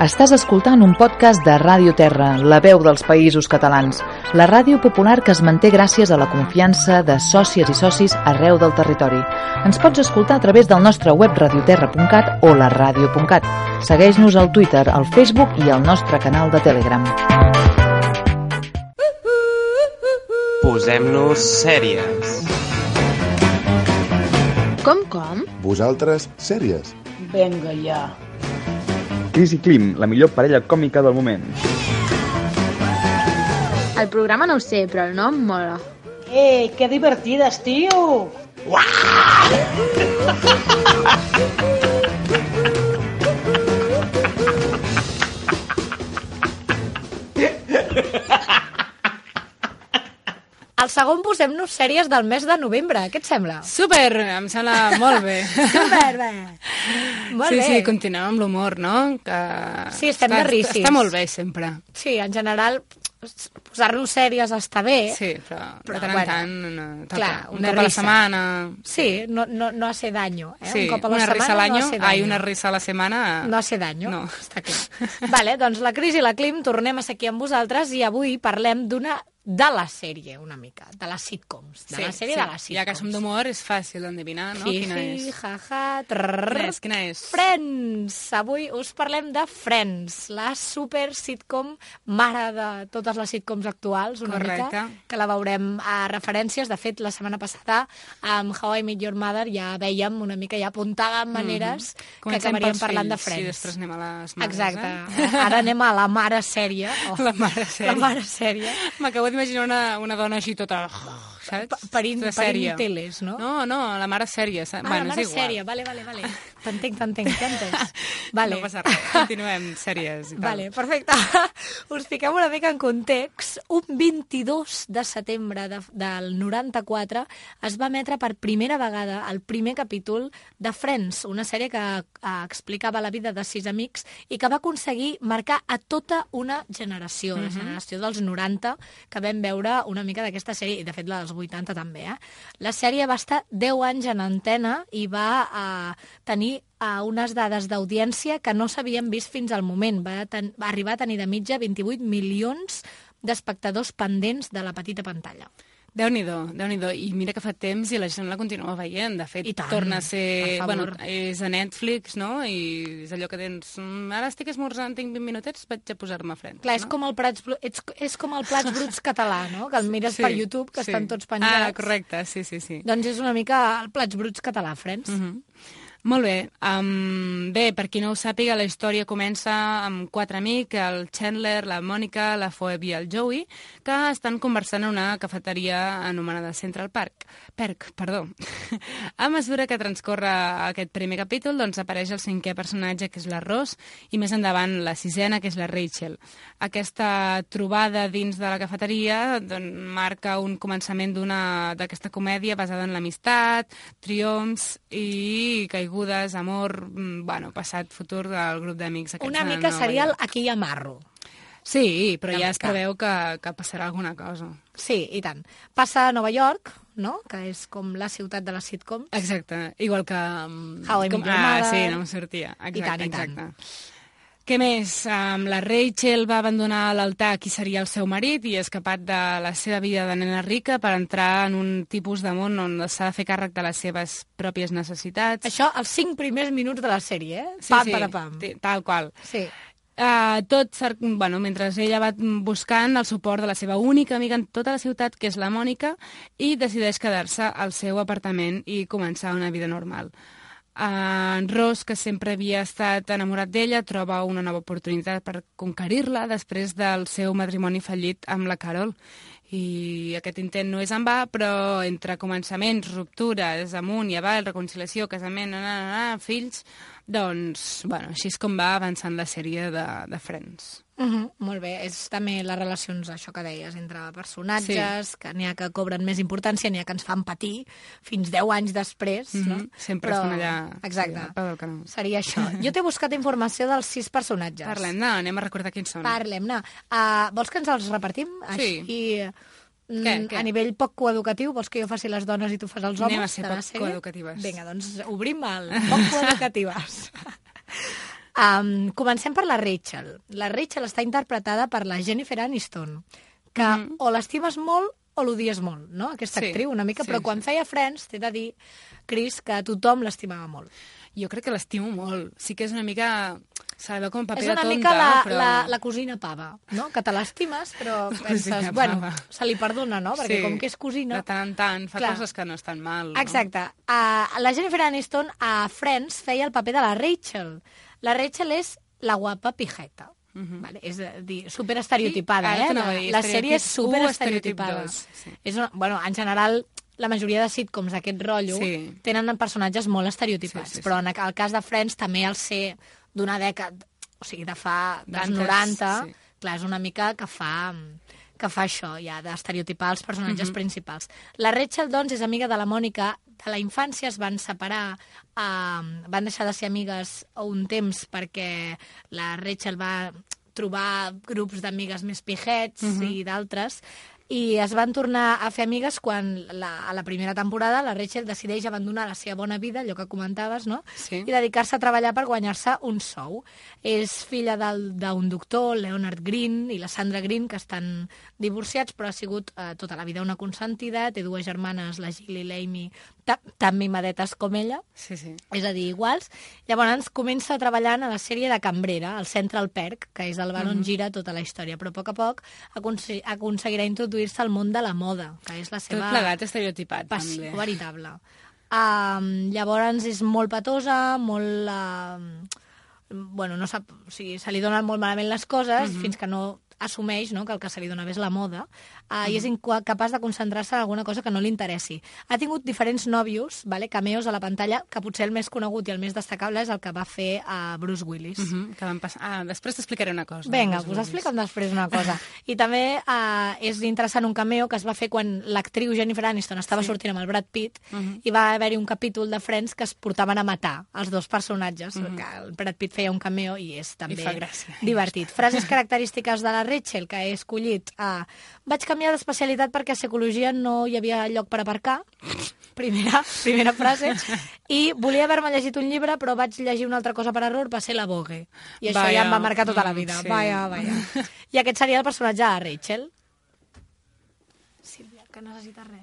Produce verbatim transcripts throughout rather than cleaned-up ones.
Estàs escoltant un podcast de Ràdio Terra, la veu dels Països Catalans, la ràdio popular que es manté gràcies a la confiança de sòcies i socis arreu del territori. Ens pots escoltar a través del nostre web radioterra punt cat o la ràdio punt cat. Segueix-nos al Twitter, al Facebook i al nostre canal de Telegram. Posem-nos sèries. Com, com? Vosaltres, sèries. Vinga, ja. Cris i Clim, la millor parella còmica del moment. El programa no ho sé, però el nom mola. Eh, que divertides, tio! El segon posem-nos sèries del mes de novembre. Què et sembla? Super, em sembla molt bé. Super bé. Molt sí, bé. sí, continuem amb l'humor, no? Que Sí, estem està, de rissis. Està molt bé, sempre. Sí, en general, posar-nos sèries està bé. Sí, però, Però, de tant en bueno, tant, una, toca. clar, un una cop a la risa. setmana. Sí, no, no, no hace daño. Eh? Sí, un cop a la una risa a setmana l'any, no hace daño. hay una risa a la setmana. No hace daño, No. està clar. Vale, doncs la Cris i la Clim tornem a ser aquí amb vosaltres i avui parlem d'una de la sèrie, una mica, de les sitcoms. De Sí, la sèrie sí. de les sitcoms. Ja que som d'humor, és fàcil d'endevinar, no? Quina Hi-hi, és? ha-ha, Quina trrrr. és? Quina és? Friends! Avui us parlem de Friends, la super sitcom mare de totes les sitcoms actuals, una Correcte. mica, que la veurem a referències. De fet, la setmana passada, amb How I Met Your Mother, ja vèiem una mica, ja apuntàvem maneres Mhm. que Comencem acabaríem pels parlant de fills, Friends. I després anem a les mares, Exacte. eh? Ara anem a la mare sèrie. Oh, La mare sèrie. La mare sèrie. M'acabo d'imaginar una, una dona així tota... Saps? Pa- parint- Tota parint sèrie. teles, no? No, no, la mare sèrie. Ah, bueno, la mare és igual. sèrie, vale, vale, vale. T'entenc, t'entenc, t'entenc. Vale. No passa res, continuem, sèries i tal. Vale, perfecte. Us fiquem una mica en context. Un vint-i-dos de setembre de, del noranta-quatre es va emetre per primera vegada el primer capítol de Friends, una sèrie que eh, explicava la vida de sis amics i que va aconseguir marcar a tota una generació, la generació dels noranta, que vam veure una mica d'aquesta sèrie, i de fet la dels vuitanta també. Eh? La sèrie va estar deu anys en antena i va eh, tenir a unes dades d'audiència que no s'havien vist fins al moment. Va, ten, va arribar a tenir de mitja vint-i-vuit milions d'espectadors pendents de la petita pantalla. Déu-n'hi-do, Déu-n'hi-do. I mira que fa temps i la gent la continua veient. De fet, I tant, torna a ser... per Bueno, favor. és a Netflix, no? I és allò que tens... "Mm, Ara estic esmorzant, tinc vint minutets, vaig a posar-me Friends. Clar, és no? com el Plats, Bru- és, és com el Plats Bruts català, no? Que el mires Sí, per YouTube, que sí. estan tots penjats. Ah, correcte, sí, sí, sí. Doncs és una mica el Plats Bruts català, Friends. Mhm. Molt bé. Um, bé, per qui no ho sàpiga, la història comença amb quatre amics, el Chandler, la Mònica, la Phoebe i el Joey, que estan conversant en una cafeteria anomenada Central Park. Perk, perdó. A mesura que transcorre aquest primer capítol, doncs apareix el cinquè personatge, que és la Ross, i més endavant la sisena, que és la Rachel. Aquesta trobada dins de la cafeteria doncs, marca un començament d'una d'aquesta comèdia basada en l'amistat, triomfs i caigudes, amor, mm, bueno, passat, futur del grup d'amics aquests Una de mica Nova seria el York. Aquí hi ha marro. Sí, però Una ja es mica. preveu que, que passarà alguna cosa. Sí, i tant. Passa a Nova York, no? Que és com la ciutat de les sitcoms. Exacte, igual que... um, How I Met com, Your ah, Mother. sí, no em sortia. Exacte, I tant, i tant. exacte. Què més? Um, la Rachel va abandonar l'altar qui seria el seu marit i ha escapat de la seva vida de nena rica per entrar en un tipus de món on s'ha de fer càrrec de les seves pròpies necessitats. Això, els cinc primers minuts de la sèrie, eh? Sí, Pam, sí, para, pam. t- tal qual. Sí. Uh, tot, cer- bueno, mentre ella va buscant el suport de la seva única amiga en tota la ciutat, que és la Mònica, i decideix quedar-se al seu apartament i començar una vida normal. Uh, en Ross, que sempre havia estat enamorat d'ella, troba una nova oportunitat per conquerir-la després del seu matrimoni fallit amb la Carol. I aquest intent no és en va, però entre començaments, ruptures, amunt i avall, reconciliació, casament, na, na, na, fills, doncs, bueno, així és com va avançant la sèrie de, de Friends. Uh -huh, molt bé, és també les relacions, això que deies, entre personatges, sí. que n'hi ha que cobren més importància, n'hi ha que ens fan patir fins deu anys després, Mm -hmm. no? Sempre Però... estan allà, Exacte. sí, al peu del canó. Seria això. Jo t'he buscat informació dels sis personatges. Parlem-ne, anem a recordar quins són. Parlem-ne. Uh, vols que ens els repartim? Sí. Així, mm, Què, què? a nivell poc coeducatiu, vols que jo faci les dones i tu fas els homes? Anem a ser de la poc sèrie? coeducatives. Vinga, doncs obrim el poc coeducatives. Um, comencem per la Rachel. La Rachel està interpretada per la Jennifer Aniston, que mm. o l'estimes molt o l'odies molt, no? Aquesta Sí, actriu una mica, sí, però quan sí. feia Friends, t'he de dir, Cris, que tothom l'estimava molt. Jo crec que l'estimo molt. Sí que és una mica... Se la veu com un paper És de una tonta, mica la, però... la, la cosina pava, no? Que te l'estimes, però La penses, cosina bueno, pava. se li perdona, no? Perquè Sí, com que és cosina... de tant en tant, fa Clar. coses que no estan mal. No? Exacte. Uh, la Jennifer Aniston a Friends feia el paper de la Rachel. La Rachel és la guapa pijeta. Uh -huh. Vale? És a dir, superestereotipada, Sí, ara eh? t'anava a La, dir, la sèrie és estereotip u, superestereotipada. estereotip dos, sí. És una, bueno, en general, la majoria de sitcoms d'aquest rotllo Sí. tenen personatges molt estereotipats, Sí, sí, sí. però en el cas de Friends també al ser d'una dècada, o sigui, de fa dels D'antes, noranta, sí. clar, és una mica que fa que fa això, ja, d'estereotipar els personatges Mhm. principals. La Rachel, doncs, és amiga de la Mònica de la infància, es van separar, eh, van deixar de ser amigues un temps perquè la Rachel va trobar grups d'amigues més pijets Mhm. i d'altres, i es van tornar a fer amigues quan la, a la primera temporada la Rachel decideix abandonar la seva bona vida, allò que comentaves, no? Sí. I dedicar-se a treballar per guanyar-se un sou. És filla del- d'un doctor, Leonard Green, i la Sandra Green, que estan divorciats, però ha sigut eh, tota la vida una consentida, té dues germanes, la Jill i l'Amy, ta tan mimadetes com ella, Sí, sí. és a dir, iguals. Llavors comença treballant a la sèrie de cambrera, al Central Perk, que és el bar on Mhm. gira tota la història, però a poc a poc aconse aconseguirà introduir-se al món de la moda, que és la Tot seva plegat estereotipat, passió també. veritable. Um, llavors és molt petosa, molt... Uh, bueno, no sap, o sigui, se li donen molt malament les coses, Mhm. fins que no assumeix, no?, que el que se li dona bé és la moda, uh, i és incapaç de concentrar-se en alguna cosa que no li interessi. Ha tingut diferents nòvios, vale, cameos a la pantalla, que potser el més conegut i el més destacable és el que va fer a Bruce Willis. Mhm, que van passar... Ah, després t'explicaré una cosa. Vinga, Bruce us Willis. explica'm després una cosa. I també uh, és interessant un cameo que es va fer quan l'actriu Jennifer Aniston estava Sí. sortint amb el Brad Pitt, Mhm. i va haver-hi un capítol de Friends que es portaven a matar els dos personatges, Mhm. que el Brad Pitt feia un cameo i és també fa gràcia. divertit. Frases característiques de la Rachel, que he escollit. Uh, vaig canviar d'especialitat perquè a psicologia no hi havia lloc per aparcar. Primera, primera frase. I volia haver-me llegit un llibre, però vaig llegir una altra cosa per error, va ser la Vogue. I això Vaya. ja em va marcar tota la vida. Mm, sí. Vaja, vaja. I aquest seria el personatge de Rachel. Sílvia, que necessites res.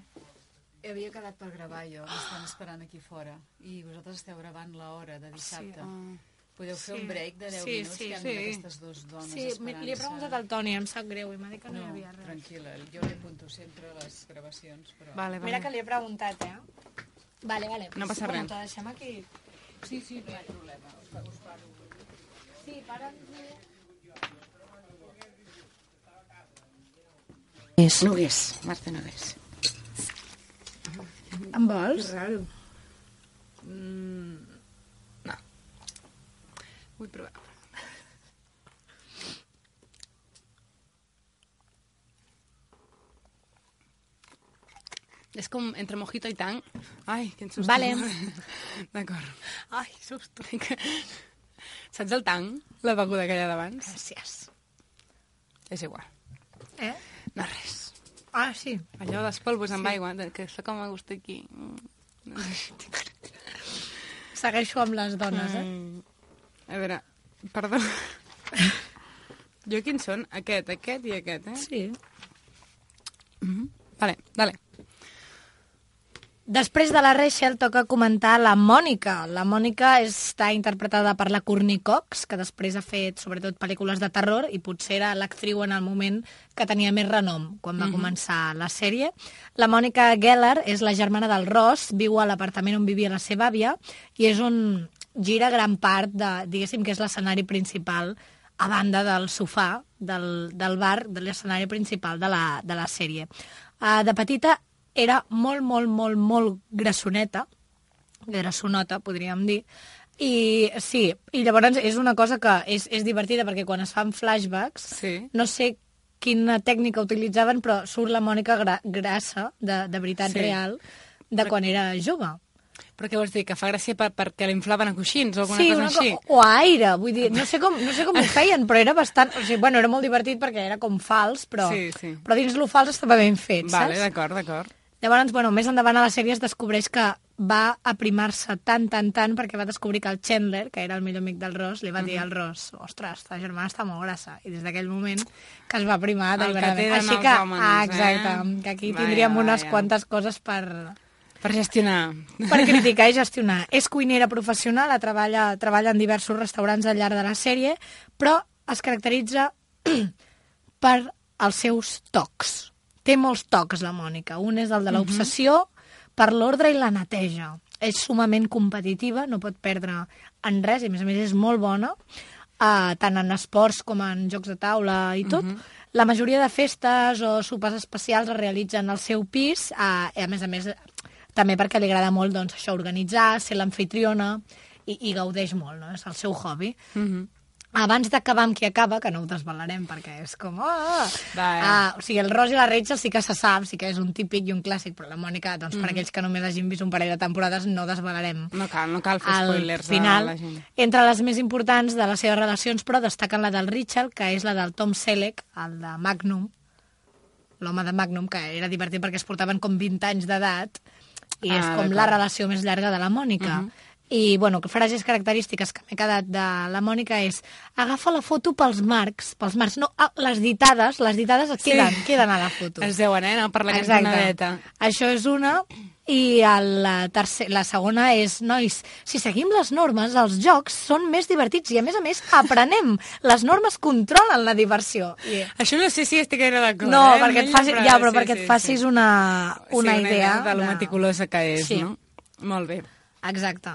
Havia quedat per gravar jo, m'estan esperant aquí fora. I vosaltres esteu gravant l'hora de dissabte. Ah. Podeu fer Sí. un break de deu Sí, minuts sí, que han sí. aquestes dues dones Sí, esperant-se. li he preguntat al Toni, em sap greu, i m'ha dit que no, No, hi havia res. tranquil·la, jo li apunto sempre a les gravacions, però... Vale, vale. Mira que li he preguntat, eh? Vale, vale. No passa Bueno, res. te deixem aquí. Sí, sí, no hi ha problema, us, us paro. Sí, para... Nogués, Marta Nogués. En vols? Raro. Mm, no. Vull provar. És com entre mojito i tang. Ai, quin susto. Vale. D'acord. Ai, susto. Saps el tang? La beguda aquella d'abans? Gràcies. És igual. Eh? No res. Ah, sí. Allò dels polvos amb aigua, que està com a gust aquí. Segueixo amb les dones, eh? Mm. A veure, perdó. Jo quins són? Aquest, aquest i aquest, eh? Sí. Mm-hmm. Vale, dale. Després de la Rachel toca comentar la Mònica. La Mònica està interpretada per la Courtney Cox, que després ha fet sobretot pel·lícules de terror i potser era l'actriu en el moment que tenia més renom quan va Mhm. començar la sèrie. La Mònica Geller és la germana del Ross, viu a l'apartament on vivia la seva àvia i és on gira gran part de, diguéssim que és l'escenari principal a banda del sofà del, del bar, de l'escenari principal de la, de la sèrie. Uh, de petita era molt, molt, molt, molt grassoneta, grassonota, podríem dir, i sí, i llavors és una cosa que és, és divertida perquè quan es fan flashbacks, Sí. no sé quina tècnica utilitzaven, però surt la Mònica gra grassa, de, de veritat Sí. real, de quan era jove. Però què vols dir? Que fa gràcia per, perquè l'inflaven a coixins o alguna Sí, cosa una així? co o a aire, vull dir, no sé com, no sé com ho feien, però era bastant... O sigui, bueno, era molt divertit perquè era com fals, però, Sí, sí. però dins lo fals estava ben fet, Vale, saps? d'acord, d'acord. Llavors, bueno, més endavant a la sèrie es descobreix que va aprimar-se tant, tant, tant, perquè va descobrir que el Chandler, que era el millor amic del Ross, li va dir al Ross, ostres, ta germana està molt grassa. I des d'aquell moment que es va aprimar deliberadament. Així que, homes, ah, exacte, eh? que aquí Vaja, tindríem unes vaja. quantes coses per... Per gestionar. Per criticar i gestionar. És cuinera professional, treballa, treballa en diversos restaurants al llarg de la sèrie, però es caracteritza per els seus tocs. Té molts tocs, la Mònica. Un és el de l'obsessió per l'ordre i la neteja. És sumament competitiva, no pot perdre en res, i a més a més és molt bona, uh, tant en esports com en jocs de taula i tot. La majoria de festes o sopars especials es realitzen al seu pis, uh, i a més a més també perquè li agrada molt doncs, això, organitzar, ser l'amfitriona, i, i gaudeix molt, no? És el seu hobby. Mhm. Abans d'acabar amb qui acaba, que no ho desvelarem perquè és com... Oh! Va, eh? Ah, o sigui, el Ross i la Rachel sí que se sap, sí que és un típic i un clàssic, però la Mònica, doncs, per aquells que només hagin vist un parell de temporades, no desvelarem. No cal, no cal fer Al spoilers final, a la gent. entre les més importants de les seves relacions, però destaquen la del Richard, que és la del Tom Selleck, el de Magnum, l'home de Magnum, que era divertit perquè es portaven com vint anys d'edat, i és Ah, com d'acord. la relació més llarga de la Mònica. I, bueno, frases característiques que m'he quedat de la Mònica és agafa la foto pels marcs, pels marcs, no, ah, les ditades, les ditades Sí. queden, queden a la foto. Es deuen, eh? No? Per la Exacte. cantonadeta. Això és una, i el, la, tercer, la segona és, nois, si seguim les normes, els jocs són més divertits i, a més a més, aprenem. Les normes controlen la diversió. I, Això no sé si estic gaire d'acord, no, eh? perquè et facis, ja, però perquè et facis una, una sí, idea de lo meticulosa que és, Sí. no? Molt bé. Exacte.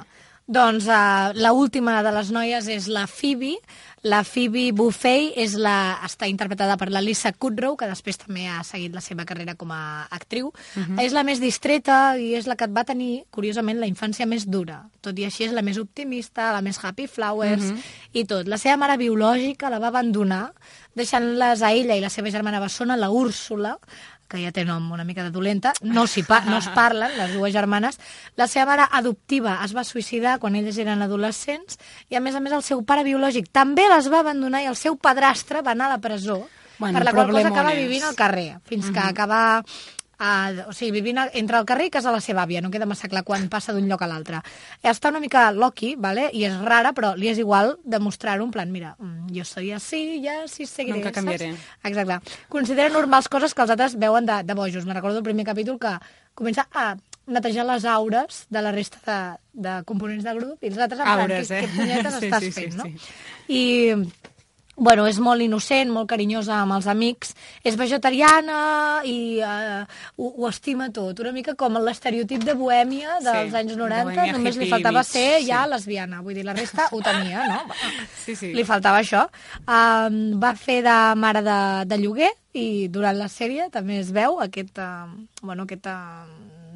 Doncs uh, la última de les noies és la Phoebe. La Phoebe Buffay és la, està interpretada per la Lisa Kudrow, que després també ha seguit la seva carrera com a actriu. Uh-huh. És la més distreta i és la que et va tenir, curiosament, la infància més dura. Tot i així és la més optimista, la més happy flowers uh-huh. i tot. La seva mare biològica la va abandonar, deixant-les a ella i la seva germana bessona, la Úrsula, que ja té nom una mica de dolenta, no, s'hi pa no es parlen, les dues germanes. La seva mare adoptiva es va suïcidar quan elles eren adolescents i, a més a més, el seu pare biològic també les va abandonar i el seu padrastre va anar a la presó, Bueno, per la qual cosa problemones. acaba vivint al carrer, fins uh -huh. que acaba... Uh, o sigui, vivint a, entre el carrer i casa de la seva àvia, no queda massa clar quan passa d'un lloc a l'altre. Està una mica loqui, ¿vale? I és rara, però li és igual demostrar-ho en plan, mira, mm, jo soy así, ja sí seguiré, Nunca canviaré. saps? Exacte. Considera normals coses que els altres veuen de, de bojos. Me recordo el primer capítol que comença a netejar les aures de la resta de, de components del grup i els altres en plan, Aures, què, eh? què punyetes Sí, estàs sí, sí, fent, no? sí. I... Bueno, és molt innocent, molt carinyosa amb els amics, és vegetariana i uh, ho, ho estima tot. Una mica com l'estereotip de bohèmia dels Sí, anys noranta, bohèmia només li hippie faltava mig, ser sí. ja lesbiana. Vull dir, la resta ho tenia, no? Sí, sí. Li faltava això. Um, va fer de mare de, de lloguer i durant la sèrie també es veu aquesta, bueno, aquesta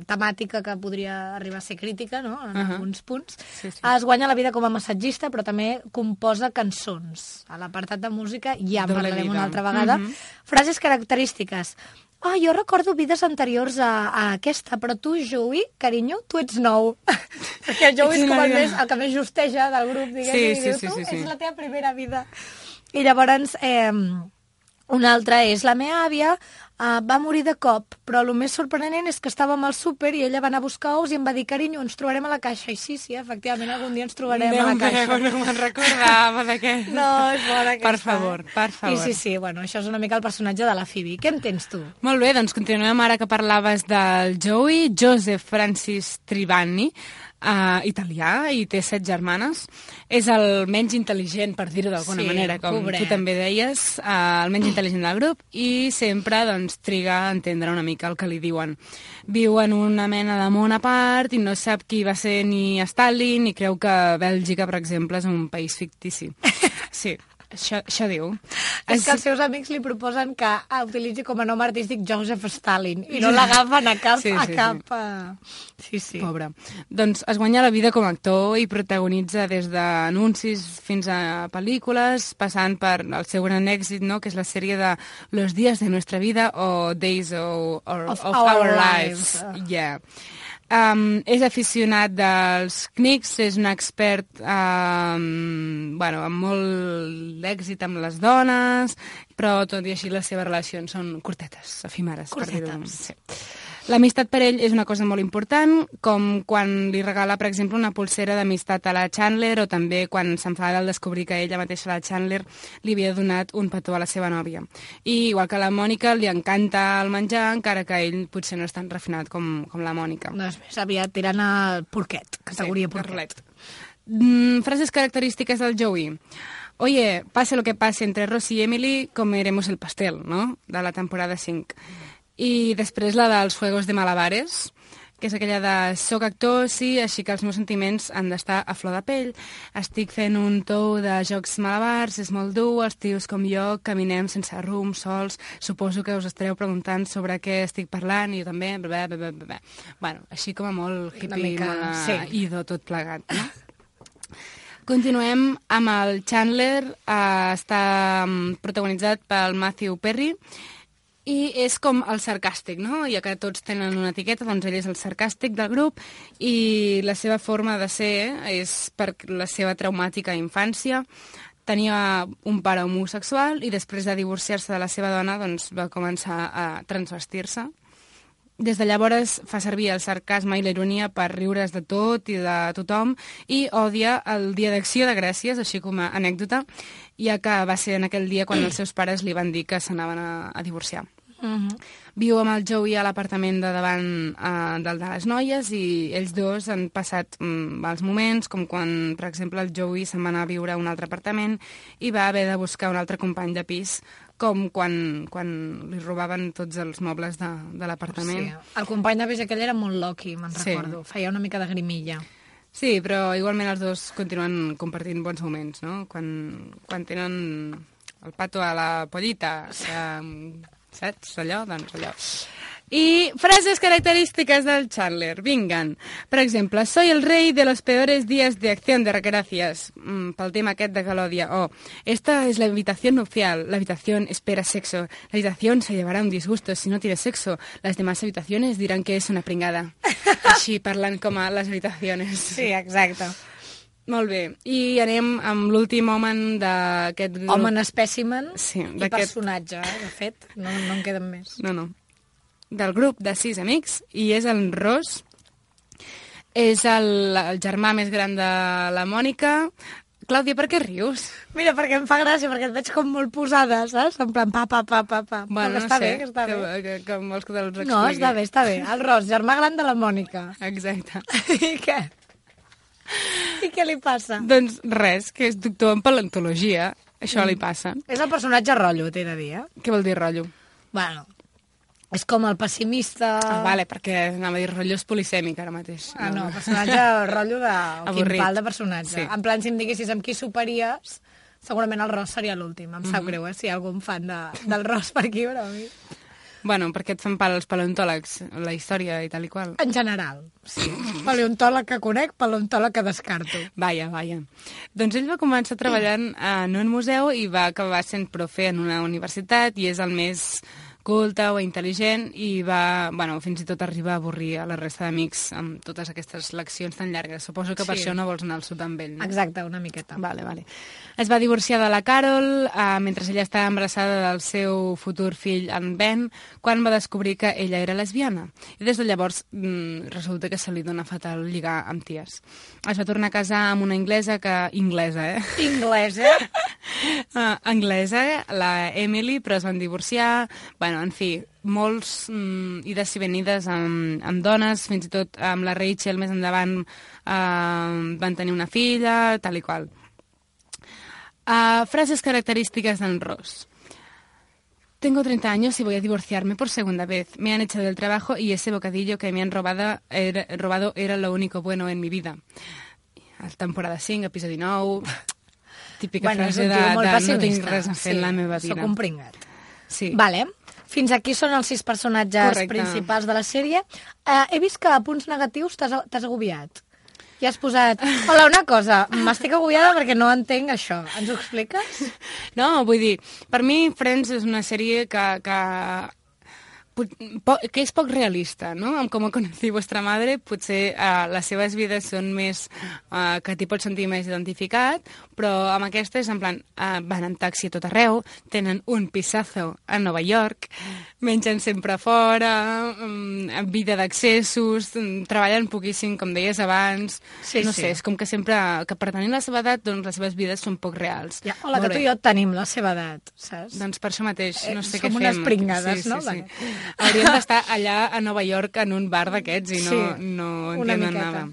temàtica que podria arribar a ser crítica, no?, en uh -huh. alguns punts. Sí, sí. Es guanya la vida com a massatgista, però també composa cançons. A l'apartat de música ja en Doble parlarem vida. una altra vegada. Mhm. Frases característiques. Ah, jo recordo vides anteriors a, a aquesta, però tu, Joey, carinyo, tu ets nou. Perquè el Joey és com el, més, el que més justeja del grup, diguem, Sí, i sí, diu, sí, tu sí, sí. és la teva primera vida. I llavors, eh, una altra és la meva àvia, Uh, va morir de cop, però el més sorprenent és que estàvem al súper i ella va anar a buscar ous i em va dir, carinyo, ens trobarem a la caixa. I sí, sí, efectivament, algun dia ens trobarem Déu a la caixa. meu, no me'n recordava d'aquest. No, és bona aquesta. Per favor, per favor. I sí, sí, bueno, això és una mica el personatge de la Phoebe. Què en tens tu? Molt bé, doncs continuem ara que parlaves del Joey, Joseph Francis Tribani, uh, italià, i té set germanes. És el menys intel·ligent, per dir-ho d'alguna Sí, manera, com pobret. tu també deies, uh, el menys intel·ligent del grup, i sempre doncs, triga a entendre una mica el que li diuen. Viu en una mena de món a part i no sap qui va ser ni Stalin i creu que Bèlgica, per exemple, és un país fictici. Sí, això, això diu. És que els seus amics li proposen que ah, utilitzi com a nom artístic Joseph Stalin i no l'agafen a cap... Sí, sí, a sí. cap uh... sí, sí. Pobre. Doncs es guanya la vida com a actor i protagonitza des d'anuncis fins a pel·lícules, passant per el seu gran èxit, no?, que és la sèrie de Los días de nuestra vida o Days of, or, Of of, our Our lives. Lives. Yeah. Um, és aficionat dels Knicks, és un expert um, bueno, amb molt èxit amb les dones, però tot i així les seves relacions són curtetes, efímeres. Per dir-ho. Curtetes. Sí. L'amistat per ell és una cosa molt important, com quan li regala, per exemple, una pulsera d'amistat a la Chandler, o també quan s'enfada al descobrir que ella mateixa, la Chandler, li havia donat un petó a la seva nòvia. I igual que la Mònica, li encanta el menjar, encara que ell potser no és tan refinat com, com la Mònica. No, és més aviat tirant al porquet, categoria Sí, porquet. Mm, frases características del Joey. Oye, pase lo que pase entre Ross y Emily, comeremos el pastel, no?, de la temporada cinc. I després la dels Juegos de Malabares, que és aquella de soc actor, sí, així que els meus sentiments han d'estar a flor de pell. Estic fent un tou de jocs malabars, és molt dur, els tios com jo caminem sense rumb, sols. Suposo que us estareu preguntant sobre què estic parlant, i jo també, bla, bla, bla, bla. Bueno, així com a molt hippie, mica, molt sí. ido tot plegat, no? Continuem amb el Chandler, eh, està mm, protagonitzat pel Matthew Perry, i és com el sarcàstic, no? Ja que tots tenen una etiqueta, doncs ell és el sarcàstic del grup, i la seva forma de ser és per la seva traumàtica infància. Tenia un pare homosexual i després de divorciar-se de la seva dona doncs va començar a transvestir-se. Des de llavors fa servir el sarcasme i la ironia per riure's de tot i de tothom, i odia el Dia d'Acció de Gràcies, així com a anècdota, ja que va ser en aquell dia quan els seus pares li van dir que s'anaven a, a divorciar. Uh-huh. Viu amb el Joey a l'apartament de davant eh, del de les noies, i ells dos han passat mm, mals moments, com quan, per exemple, el Joey se'n va anar a viure a un altre apartament i va haver de buscar un altre company de pis, com quan, quan li robaven tots els mobles de, de l'apartament. Sí, el company de pis aquell era molt loqui, me'n Sí. recordo. Feia una mica de grimilla. Sí, però igualment els dos continuen compartint bons moments, no? Quan, quan tenen el pato a la pollita, que, saps? Allò, doncs allò. I frases característiques del Chandler, vingan. Per exemple, soy el rey de los peores días de acción de gracias, mm, pel tema aquest de Galòdia. O, esta es la habitación nupcial, la habitación espera sexo, la habitación se llevará un disgusto si no tiene sexo, las demás habitaciones dirán que es una pringada. Així parlant com a les habitaciones. Sí, exacte. Molt bé, i anem amb l'últim home d'aquest grup. Home en espècimen Sí, i d'aquest- personatge, eh? De fet, no, no en queden més. No, no. Del grup de sis amics, i és el Ross. És el, el germà més gran de la Mònica. Clàudia, per què rius? Mira, perquè em fa gràcia, perquè et veig com molt posada, saps? En plan, pa, pa, pa, pa, pa. Bueno, Però no està sé, bé, que està que, bé. que, que vols que te'ls expliqui. No, està bé, està bé. El Ross, germà gran de la Mònica. Exacte. I què? I què li passa? Doncs res, que és doctor en paleontologia. Això li passa. És el personatge rotllo, t'he de dir, eh? Què vol dir rotllo? Bueno, és com el pessimista... Ah, vale, perquè anava a dir rotllo és polisèmic ara mateix. Ah, no, personatge rotllo de... Avorrit. Quin pal de personatge. Sí. En plan, si em diguessis amb qui soparies, segurament el Ross seria l'últim. Em sap greu, eh, si hi ha algun fan de, del Ross per aquí, però a mi... Bueno, perquè et fan pal els paleontòlegs, la història i tal i qual. En general, sí. Paleontòleg que conec, paleontòleg que descarto. Vaja, vaja. Doncs ell va començar treballant en un museu i va acabar sent profe en una universitat, i és el més culte o intel·ligent, i va, bueno, fins i tot arribar a avorrir a la resta d'amics amb totes aquestes leccions tan llargues. Suposo que per Sí. això no vols anar al sud amb ell, no? Exacte, una miqueta. Vale, vale. Es va divorciar de la Carol eh, mentre ella estava embarassada del seu futur fill, en Ben, quan va descobrir que ella era lesbiana. I des de llavors mm, resulta que se li dona fatal lligar amb ties. Es va tornar a casar amb una anglesa que... Inglesa, eh? Inglès, eh? Uh, anglesa, la Emily, però es van divorciar. Bueno, en fi, molts mm, ides i venides amb, amb dones, fins i tot amb la Rachel més endavant uh, van tenir una filla, tal i qual. Uh, frases características d'en Ross. Tengo treinta años y voy a divorciarme por segunda vez. Me han echado del trabajo y ese bocadillo que me han robado era, robado era lo único bueno en mi vida. Temporada cinc, episodi nou... Típica Bueno, és frase un de, tio molt de no tinc pessimista. res a fer Sí, en la meva vida. Soc un pringat. Sí. Vale. Fins aquí són els sis personatges Correcte. principals de la sèrie. Uh, he vist que a punts negatius t'has t'has agobiat. I has posat... Hola, una cosa, m'estic agobiada perquè no entenc això. Ens ho expliques? No, vull dir, per mi Friends és una sèrie que, que que és poc realista, no? Amb Com conocí vostra madre, potser uh, les seves vides són més uh, que t'hi pots sentir més identificat, però amb aquesta és en plan, uh, van en taxi a tot arreu, tenen un pisazo a Nova York, mengen sempre fora, um, vida d'accessos, um, treballen poquíssim, com deies abans, sí, no sí. sé, és com que sempre, que per tenir la seva edat, doncs les seves vides són poc reals. Ja, hola, que tu i jo tenim la seva edat, saps? Doncs per això mateix, no sé eh, què fem. Som unes pringades, sí, no? Sí, sí. Hauríem d'estar allà a Nova York en un bar d'aquests i no, sí, no una entienden miqueta. nada.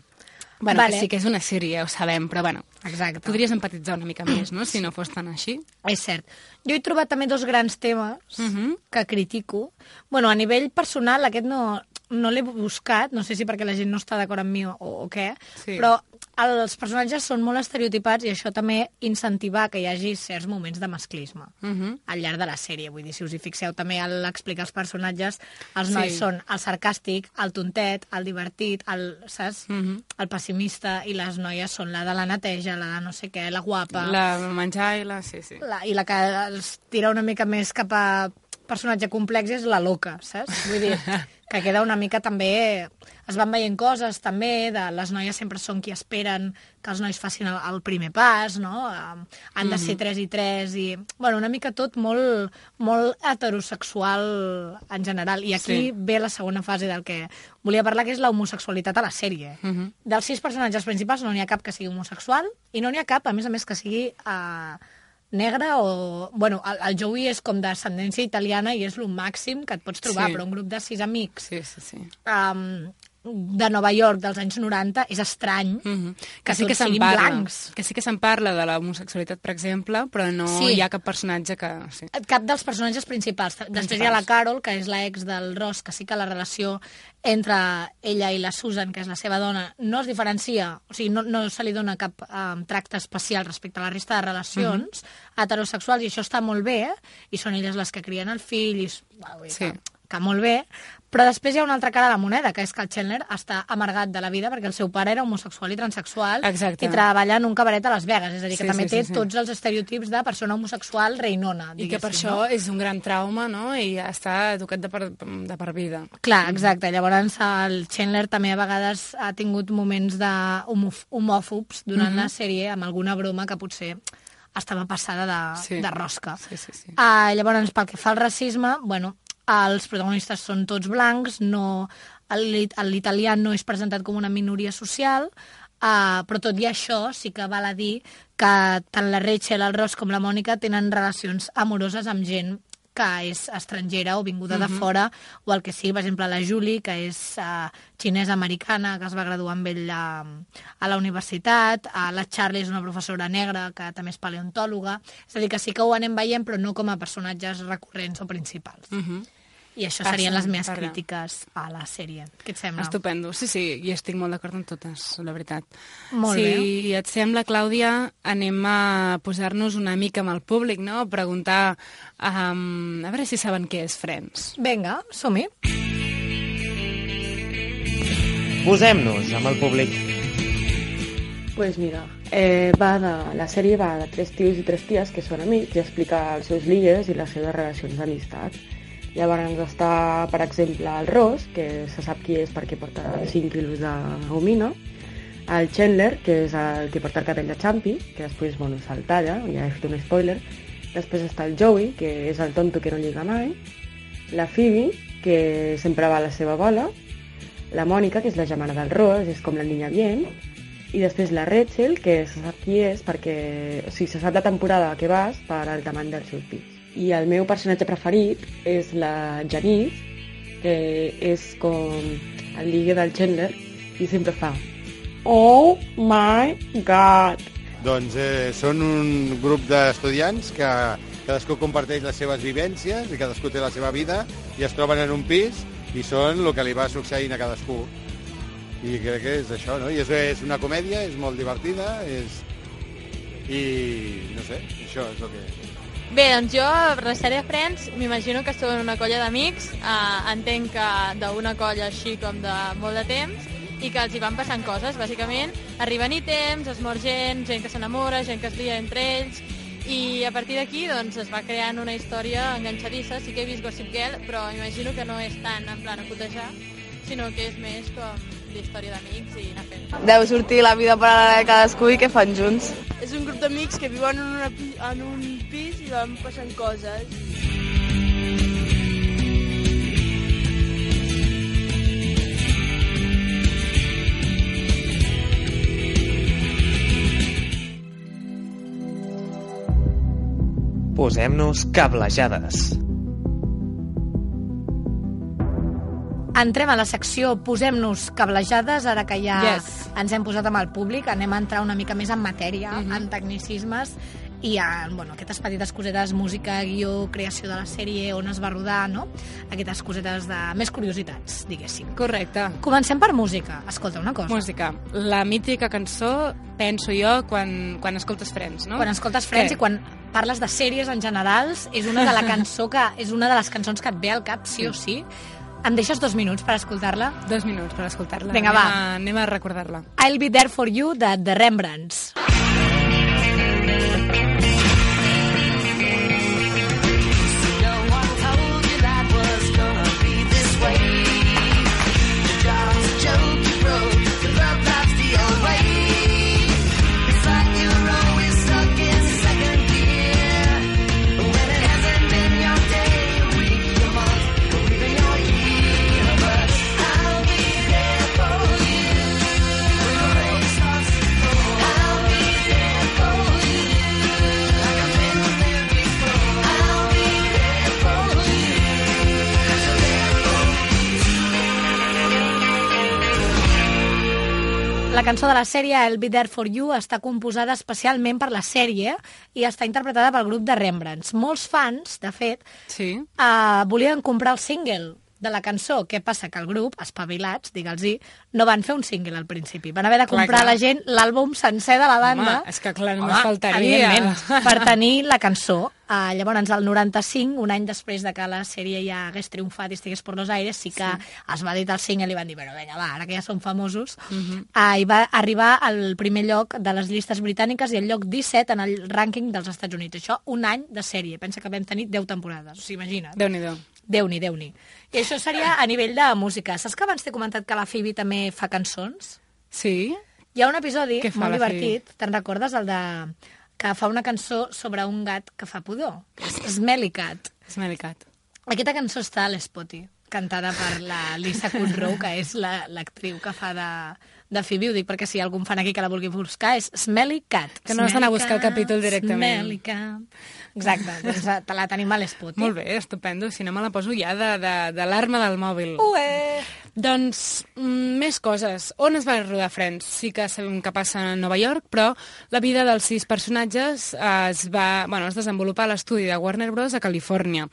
Bueno, vale. que sí que és una sèrie, ja ho sabem, però bueno, exacte. Podries empatitzar una mica més, no?, si no fos tan així. És cert. Jo he trobat també dos grans temes uh -huh. que critico. Bueno, a nivell personal, aquest no, no l'he buscat, no sé si perquè la gent no està d'acord amb mi o, o què, sí. Però els personatges són molt estereotipats i això també incentiva que hi hagi certs moments de masclisme uh -huh. al llarg de la sèrie. Vull dir, si us hi fixeu també a l'explicar els personatges, els nois sí. són el sarcàstic, el tontet, el divertit, el, saps? Uh -huh. el pessimista, i les noies són la de la neteja, la de no sé què, la guapa... La menjar i la... Sí, sí. La, I la que els tira una mica més cap a personatge complex és la loca, saps? Vull dir, que queda una mica també... Es van veient coses també, de les noies sempre són qui esperen que els nois facin el, el primer pas, no? Um, han de ser tres i tres i... Bueno, una mica tot molt, molt heterosexual en general. I aquí sí. ve la segona fase del que volia parlar, que és l'homosexualitat a la sèrie. Uh -huh. Dels sis personatges principals no n'hi ha cap que sigui homosexual i no n'hi ha cap, a més a més, que sigui... Uh, negre o... Bueno, el, el Joey és com d'ascendència italiana i és el màxim que et pots trobar, sí. Però un grup de sis amics sí, sí, sí. Um, de Nova York dels anys noranta és estrany mm -hmm. que, que sí tots que siguin parla, blancs. Que sí que se'n parla de l'homosexualitat, per exemple, però no sí. hi ha cap personatge que... Sí. Cap dels personatges principals. principals. Després hi ha la Carol, que és l'ex del Ross, que sí que la relació entre ella i la Susan, que és la seva dona, no es diferencia, o sigui, no, no se li dona cap um, tracte especial respecte a la resta de relacions mm -hmm. heterosexuals, i això està molt bé, eh? I són elles les que crien el fill, i... Bueno, sí. que, que molt bé, però després hi ha una altra cara de la moneda, que és que el Chandler està amargat de la vida perquè el seu pare era homosexual i transexual. Exacte. I treballa en un cabaret a Las Vegas, és a dir, que sí, també sí, té sí, sí. tots els estereotips de persona homosexual reinona. I que per això no? és un gran trauma, no?, i està educat de per, de per vida. Clar, exacte. Llavors el Chandler també a vegades ha tingut moments de homòfobs durant uh-huh. la sèrie, amb alguna broma que potser estava passada de, sí. de rosca. Sí, sí, sí. Uh, llavors, pel que fa al racisme, bueno, els protagonistes són tots blancs, no, l'italià no és presentat com una minoria social, uh, però tot i això sí que val a dir que tant la Rachel, el Ross com la Mònica tenen relacions amoroses amb gent que és estrangera o vinguda uh-huh. de fora, o el que sigui, per exemple, la Julie, que és uh, xinesa-americana, que es va graduar amb ell a, a la universitat, uh, la Charlie és una professora negra, que també és paleontòloga, és a dir, que sí que ho anem veient, però no com a personatges recurrents o principals. Uh-huh. I això serien les meves Parla. crítiques a la sèrie. Què et sembla? Estupendo. Sí, sí, i estic molt d'acord amb totes, la veritat. Molt si bé. Si et sembla, Clàudia, anem a posar-nos una mica amb el públic, no? A preguntar, um, a veure si saben què és Friends. Vinga, som-hi. Posem-nos amb el públic. Pues mira, eh, va de, la sèrie va de tres tios i tres ties que són amics i explica els seus ligues i les seves relacions d'amistat. Llavors està, per exemple, el Ross, que se sap qui és perquè porta cinc quilos de gomina, el Chandler, que és el que porta el cabell de Champi, que després, bueno, se'l talla, ja he fet un spoiler, després està el Joey, que és el tonto que no lliga mai, la Phoebe, que sempre va a la seva bola, la Mònica, que és la germana del Ross, és com la niña bien, i després la Rachel, que se sap qui és perquè, o sigui, se sap la temporada que vas per al tamany dels seus pits. I el meu personatge preferit és la Janice, que és com el ligue del Chandler i sempre fa Oh my God! Doncs eh, són un grup d'estudiants que cadascú comparteix les seves vivències i cadascú té la seva vida i es troben en un pis i són el que li va succeint a cadascú. I crec que és això, no? I és, és una comèdia, és molt divertida, és... i no sé, això és el que... Bé, doncs jo, la sèrie Friends, m'imagino que són una colla d'amics, eh, entenc que d'una colla així com de molt de temps, i que els hi van passant coses, bàsicament. Arriben ítems, es mor gent, gent que s'enamora, gent que es lia entre ells, I a partir d'aquí doncs, es va creant una història enganxadissa. Sí que he vist Gossip Girl, però imagino que no és tant en plan a cotejar, sinó que és més com d'història d'amics i anar fent. Deu sortir la vida paral·lela de cadascú i què fan junts. És un grup d'amics que viuen en, una, en un pis i van passant coses. Posem-nos cablejades. Entrem a la secció Posem-nos cablejades, ara que ja Yes. ens hem posat amb el públic, anem a entrar una mica més en matèria, Mhm. en tecnicismes, i en bueno, aquestes petites cosetes, música, guió, creació de la sèrie, on es va rodar, no? Aquestes cosetes de més curiositats, diguéssim. Correcte. Comencem per música. Escolta, una cosa. Música. La mítica cançó, penso jo, quan, quan escoltes Friends, no? Quan escoltes Friends Què? i quan parles de sèries en generals, és una de la cançó que és una de les cançons que et ve al cap, sí o sí. Em deixes dos minuts per escoltar-la? Dos minuts per escoltar-la. Vinga, anem va. A, anem a recordar-la. I'll Be There For You, de The Rembrandts. La cançó de la sèrie I'll Be There For You està composada especialment per la sèrie i està interpretada pel grup de Rembrandts. Molts fans, de fet, sí. uh, volien comprar el single de la cançó. Què passa? Que el grup, espavilats, digue'ls-hi, no van fer un single al principi. Van haver de comprar clar, clar. a la gent l'àlbum sencer de la banda. Home, és que clar, només faltaria. Evidentment, per tenir la cançó. Uh, llavors, al noranta-cinc, un any després de que la sèrie ja hagués triomfat i estigués per los aires, sí que sí. es va editar el single i van dir, bueno, vinga, va, ara que ja som famosos. Mhm. Uh, I va arribar al primer lloc de les llistes britàniques i al lloc disset en el rànquing dels Estats Units. Això, un any de sèrie. Pensa que vam tenir deu temporades. O sigui, imagina't. Déu-n'hi-do. Déu-n'hi, Déu-n'hi. I això seria a nivell de música. Saps que abans t'he comentat que la Phoebe també fa cançons? Sí. Hi ha un episodi Què fa molt la divertit, te'n recordes, el de que fa una cançó sobre un gat que fa pudor, que és Smelly Cat. Smelly Cat. Aquesta cançó està a l'Spotty, cantada per la Lisa Kudrow, que és la- l'actriu que fa de, de Phoebe. Ho dic perquè si hi ha algun fan aquí que la vulgui buscar, és Smelly Cat. Que no has d'anar a buscar el Smelly capítol Cat, directament. Smelly Cat. Exacte, doncs te la tenim a l'Spotty. Molt bé, estupendo. Si no me la poso ja de, de, de l'arma del mòbil. Ué! Doncs, mm, més coses. On es va rodar Friends? Sí que sabem que passa a Nova York, però la vida dels sis personatges es va, bueno, es desenvolupar a l'estudi de Warner Bros. A Califòrnia.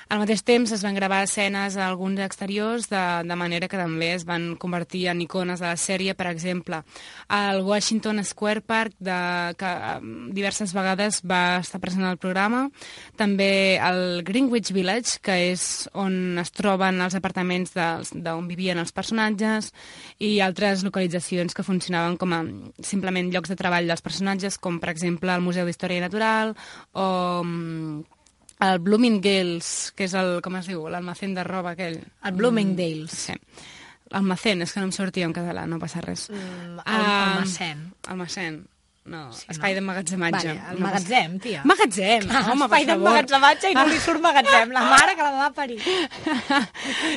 Al mateix temps es van gravar escenes a alguns exteriors, de, de manera que també es van convertir en icones de la sèrie. Per exemple, el Washington Square Park, de, que um, diverses vegades va estar present al programa. També el Greenwich Village, que és on es troben els apartaments d'on vivien els personatges, i altres localitzacions que funcionaven com a simplement llocs de treball dels personatges, com per exemple el Museu d'Història Natural o um, el Bloomingdale's, que és el, com es diu, l'almacén de roba aquell. El Bloomingdale's. Sí. Almacén, és que no em sortia en català, no passa res. Mm, el, Ah, almacén. Almacén. No, Sí, espai no? d'emmagatzematge. Vale, el No magatzem, passa- tia. Magatzem, home, per Espai favor. d'emmagatzematge i no li surt magatzem. La mare que la va parir.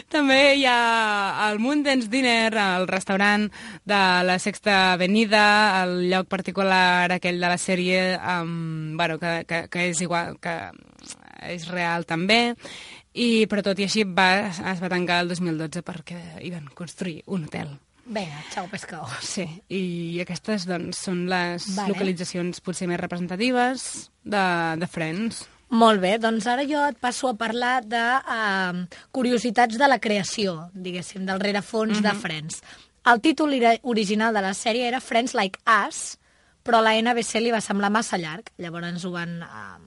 També hi ha el Moondance Dinner, el restaurant de la Sexta Avenida, el lloc particular aquell de la sèrie, um, bueno, que, que, que és igual, que és real també, i, però tot i així va, es va tancar el dos mil dotze perquè hi van construir un hotel. Vinga, xau pescao. Sí, i aquestes doncs, són les Vale. localitzacions potser més representatives de, de Friends. Molt bé, doncs ara jo et passo a parlar de uh, curiositats de la creació, diguéssim, del rerefons Mhm. de Friends. El títol ira- original de la sèrie era Friends Like Us, però a la N B C li va semblar massa llarg, llavors ho van, uh,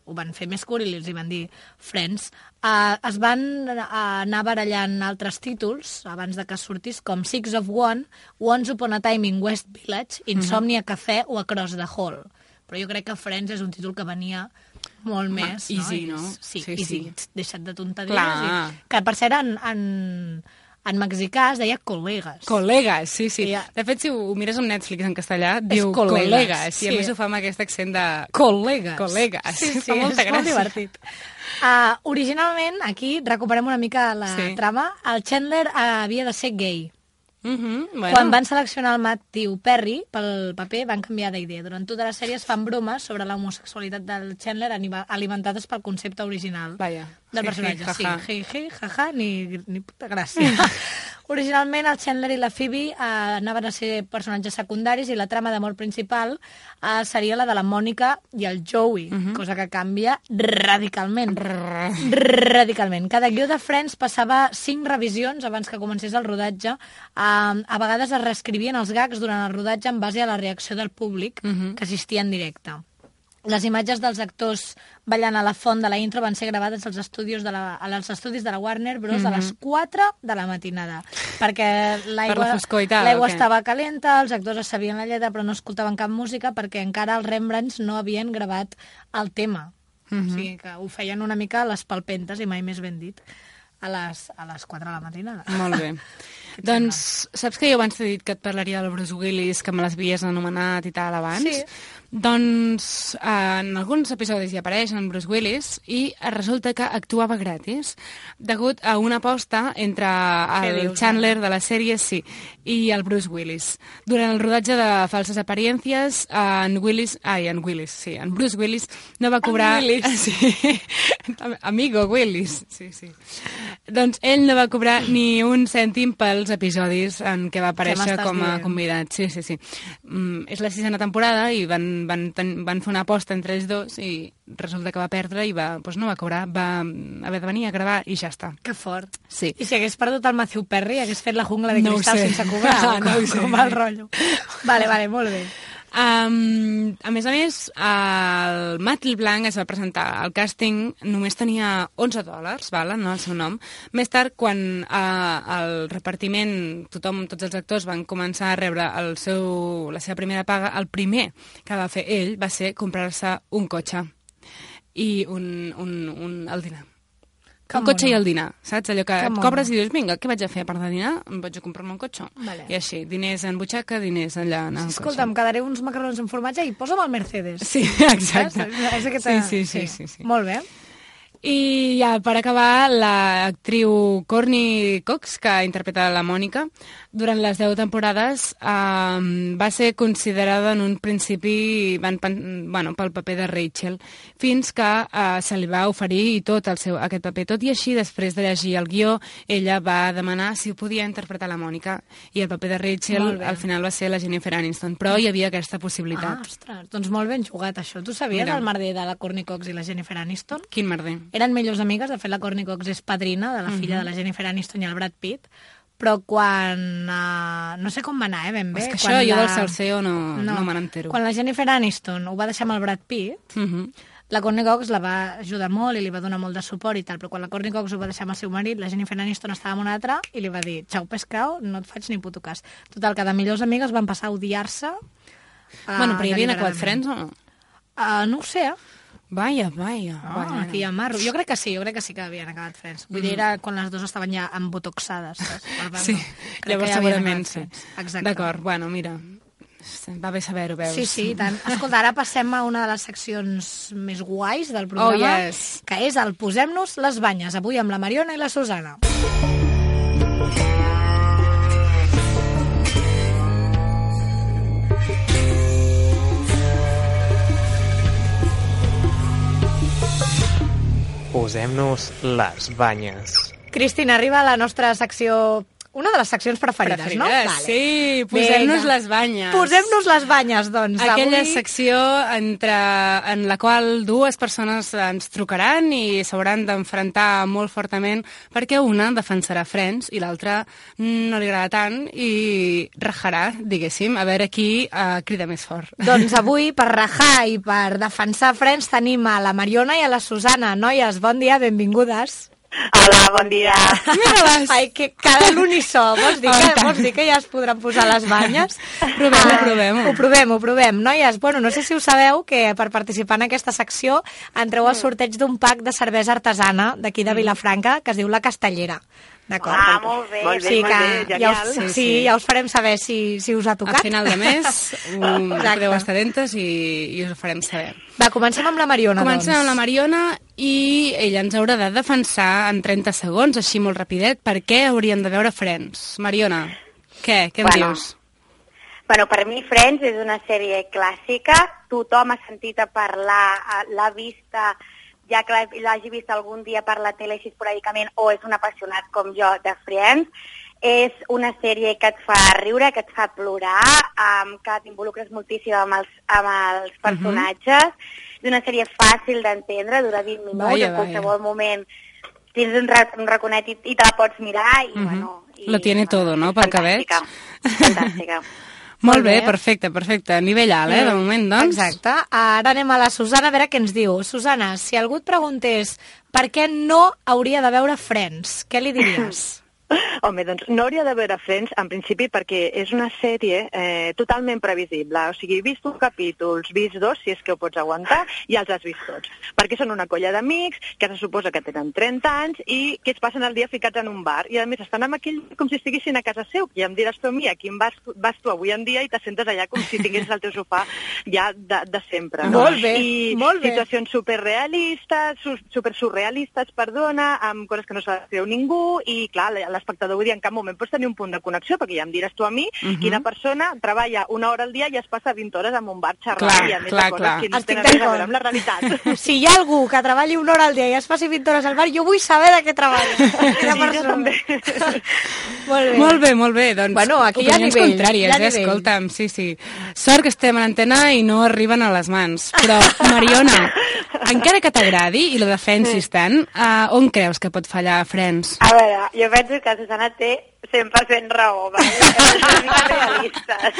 ho van fer més curt i els hi van dir Friends. Uh, es van uh, anar barallant altres títols abans de que sortís, com Six of One, Once Upon a Time in West Village, Insomnia Café o Across the Hall. però jo crec que Friends és un títol que venia molt Ma, més. easy, no? no? Sí, Sí, easy. sí. Deixa't de tonteries. Clar. I, que per cert, en, en, en mexicà es deia col·legues. Col·legues, sí, sí. Ja. De fet, si ho, ho mires en Netflix en castellà, diu col·legues, col·legues, sí. i a més ho fa amb aquest accent de... Col·legues. Col·legues. Sí, sí, fa molta és gràcia. molt divertit. Uh, originalment, aquí, recuperem una mica la Sí. trama, el Chandler uh, havia de ser gay. Uh -huh, bueno. Quan van seleccionar el Matthew Perry pel paper, van canviar d'idea. Durant tota la sèrie es fan bromes sobre l'homosexualitat del Chandler alimentades pel concepte original Vaja. del Ji, personatge. ji, Sí, jaja. ji, ji, jaja, ni, ni puta gràcia. Originalment el Chandler i la Phoebe eh, anaven a ser personatges secundaris i la trama d'amor principal eh, seria la de la Mònica i el Joey, uh -huh. cosa que canvia radicalment. Radicalment. Cada guió de Friends passava cinc revisions abans que comencés el rodatge. Eh, a vegades es reescrivien els gags durant el rodatge en base a la reacció del públic uh -huh. que assistia en directe. Les imatges dels actors ballant a la font de la intro van ser gravades als estudis de la, als estudis de la Warner Bros. Mm -hmm. a les quatre de la matinada, perquè Per l'aigua la foscor i tal, l'aigua o què? estava calenta, els actors es sabien la lletra però no escoltaven cap música perquè encara els Rembrandts no havien gravat el tema. Mm -hmm. O sigui que ho feien una mica a les palpentes, i mai més ben dit, a les, a les quatre de la matinada. Molt bé. Doncs, saps que jo abans t'he dit que et parlaria del Bruce Willis, que me l'havies anomenat i tal abans? Sí. Doncs eh, en alguns episodis hi apareix en Bruce Willis i resulta que actuava gratis degut a una aposta entre el dius, Chandler de la sèrie, sí, i el Bruce Willis. Durant el rodatge de Falses Apariencias, en Willis, ai, en Willis, sí, en Bruce Willis no va cobrar... En Willis. Sí, amigo Willis, sí, sí. Doncs ell no va cobrar ni un cèntim pels episodis en què va aparèixer com a dient? convidat. Sí, sí, sí. Mm, és la sisena temporada i van, van, ten, van fer una aposta entre ells dos i resulta que va perdre i va, doncs no va cobrar, va haver de venir a gravar i ja està. Que fort. Sí. I si hagués perdut el Matthew Perry, hagués fet la jungla de No ho cristal sé. sense cobrar? No ho com, sé. com el rotllo. Vale, vale, molt bé. Um, a més a més, el Matt LeBlanc es va presentar al càsting, només tenia onze dòlars, val, no el seu nom. Més tard, quan uh, el repartiment, tothom, tots els actors van començar a rebre el seu, la seva primera paga, el primer que va fer ell va ser comprar-se un cotxe i un, un, un, el dinar. Que un cotxe mono. i el dinar, saps? Allò que Que et mono. cobres i dius, vinga, què vaig a fer a part de dinar? Em vaig a comprar-me un cotxe. Vale. I així, diners en butxaca, diners allà en el Escolta, em quedaré uns macarrons amb formatge i posa'm el Mercedes. Sí, exacte. Saps? És aquesta... Sí, sí, sí, sí, sí. Molt bé. I ja, per acabar, l'actriu Courtney Cox, que interpreta la Mònica, durant les deu temporades eh, va ser considerada en un principi van, bueno, pel paper de Rachel, fins que eh, se li va oferir i tot el seu, aquest paper. Tot i així, després de llegir el guió, ella va demanar si ho podia interpretar la Mònica. I el paper de Rachel, al final, va ser la Jennifer Aniston. Però hi havia aquesta possibilitat. Ah, ostres, doncs molt ben jugat, això. Tu sabies Mira. el merder de la Courtney Cox i la Jennifer Aniston? Quin merder. Eren millors amigues, de fet la Courtney Cox és padrina de la filla Mhm. de la Jennifer Aniston i el Brad Pitt, però quan... Uh, no sé com va anar, eh, ben bé. És que quan això, jo la... del salseo no, no. no me n'entero. Quan la Jennifer Aniston ho va deixar amb el Brad Pitt, Uh -huh. la Courtney Cox la va ajudar molt i li va donar molt de suport i tal, però quan la Courtney Cox ho va deixar amb el seu marit, la Jennifer Aniston estava amb un altre i li va dir, xau pescau, no et faig ni puto cas. Total, que de millors amigues van passar a odiar-se. Uh, Bueno, però hi havien acabat Friends o no? Uh, no ho sé, eh? Vaja, vaja. Ah, vaja. aquí hi ha marro. Jo crec que sí, jo crec que sí que havien acabat Friends. Vull dir, era quan les dues estaven ja embotoxades. Saps? Per tant, Sí, no. Crec llavors que ja havien segurament acabat sí. Friends. Exacte. D'acord, bueno, mira, va bé saber-ho, veus? Sí, sí, i tant. Escolta, ara passem a una de les seccions més guais del programa, Oh, yes. que és el Posem-nos les banyes, avui amb la Mariona i la Susana. Posem-nos les banyes. Cristina, arriba la nostra secció... Una de les seccions preferides, Preferides, no? sí, posem-nos Vinga. les banyes. Posem-nos les banyes, doncs. Aquella avui... secció entre, en la qual dues persones ens trucaran i s'hauran d'enfrontar molt fortament perquè una defensarà Friends i l'altra no li agrada tant i rajarà, diguéssim, a veure qui uh, crida més fort. Doncs avui, per rajar i per defensar Friends, tenim a la Mariona i a la Susana. Noies, bon dia, benvingudes. Hola, bon dia. Mira-les. Ai, que cada l'unissó. Vols dir, que, vols dir que ja es podran posar les banyes? Provem-ho, ah, provem-ho. Ho provem, ho provem. Noies, bueno, no sé si ho sabeu, que per participar en aquesta secció entreu al sorteig d'un pack de cervesa artesana d'aquí de Vilafranca, que es diu La Castellera. D'acord? Ah, molt bé. Molt bé, sí, molt bé, genial. Ja us, sí, sí, ja us farem saber si, si us ha tocat. Al final de mes um, podeu estar atentes i, i us ho farem saber. Va, comencem amb la Mariona, comencem doncs. amb la Mariona i ella ens haurà de defensar en trenta segons, així molt rapidet, per què haurien de veure Friends. Mariona, què? Què em bueno, dius? Bueno, per mi Friends és una sèrie clàssica, tothom ha sentit a parlar, l'ha vista, ja que l'hagi vist algun dia per la tele així esporàdicament, o és un apassionat com jo de Friends. És una sèrie que et fa riure, que et fa plorar, um, que t'involucres moltíssim amb els, amb els personatges. Uh-huh. És una sèrie fàcil d'entendre, dura vint minuts, vaya, en qualsevol vaya. moment tens un, un raconet i, i te la pots mirar. I, uh-huh. bueno, i, Lo tiene bueno, todo, no?, pel que veig. Fantàstica. Molt bé, perfecte, perfecte. Nivell alt, eh, de moment, doncs. Exacte. Ara anem a la Susana a veure què ens diu. Susana, si algú et preguntés per què no hauria de veure Friends, què li diries? Home, doncs no hauria de veure Friends, en principi, perquè és una sèrie eh, totalment previsible. O sigui, vist un capítol, vist dos, si és que ho pots aguantar, i els has vist tots. Perquè són una colla d'amics que se suposa que tenen trenta anys i que es passen el dia ficats en un bar. I a més estan amb aquell com si estiguessin a casa seu. I em diràs tu a mi, a quin vas, vas tu avui en dia i te sentes allà com si tinguessis el teu sofà ja de, de sempre. No? Molt bé, I molt bé. Situacions superrealistes, su, supersurrealistes, perdona, amb coses que no s'ha de fer ningú i, clar, l'espectador vull dir, en cap moment pots tenir un punt de connexió, perquè ja em diràs tu a mi, uh-huh. quina persona treballa una hora al dia i es passa vint hores en un bar xerrant, clar, i a més clar, de coses clar. que no Estic tenen res a veure amb la realitat. Si hi ha algú que treballi una hora al dia i es passi vint hores al bar, jo vull saber de què treballa. Sí, jo també. Molt bé. Molt bé, molt bé. Doncs, bueno, aquí hi ha opinions nivell. contràries, hi ha eh? nivell. Escolta'm, sí, sí. Sort que estem a l'antena i no arriben a les mans. Però, Mariona, encara que t'agradi i la defensis tant, uh, on creus que pot fallar Friends? A veure, jo penso que Susana té cent per cent raó, vale? És una mica realistes.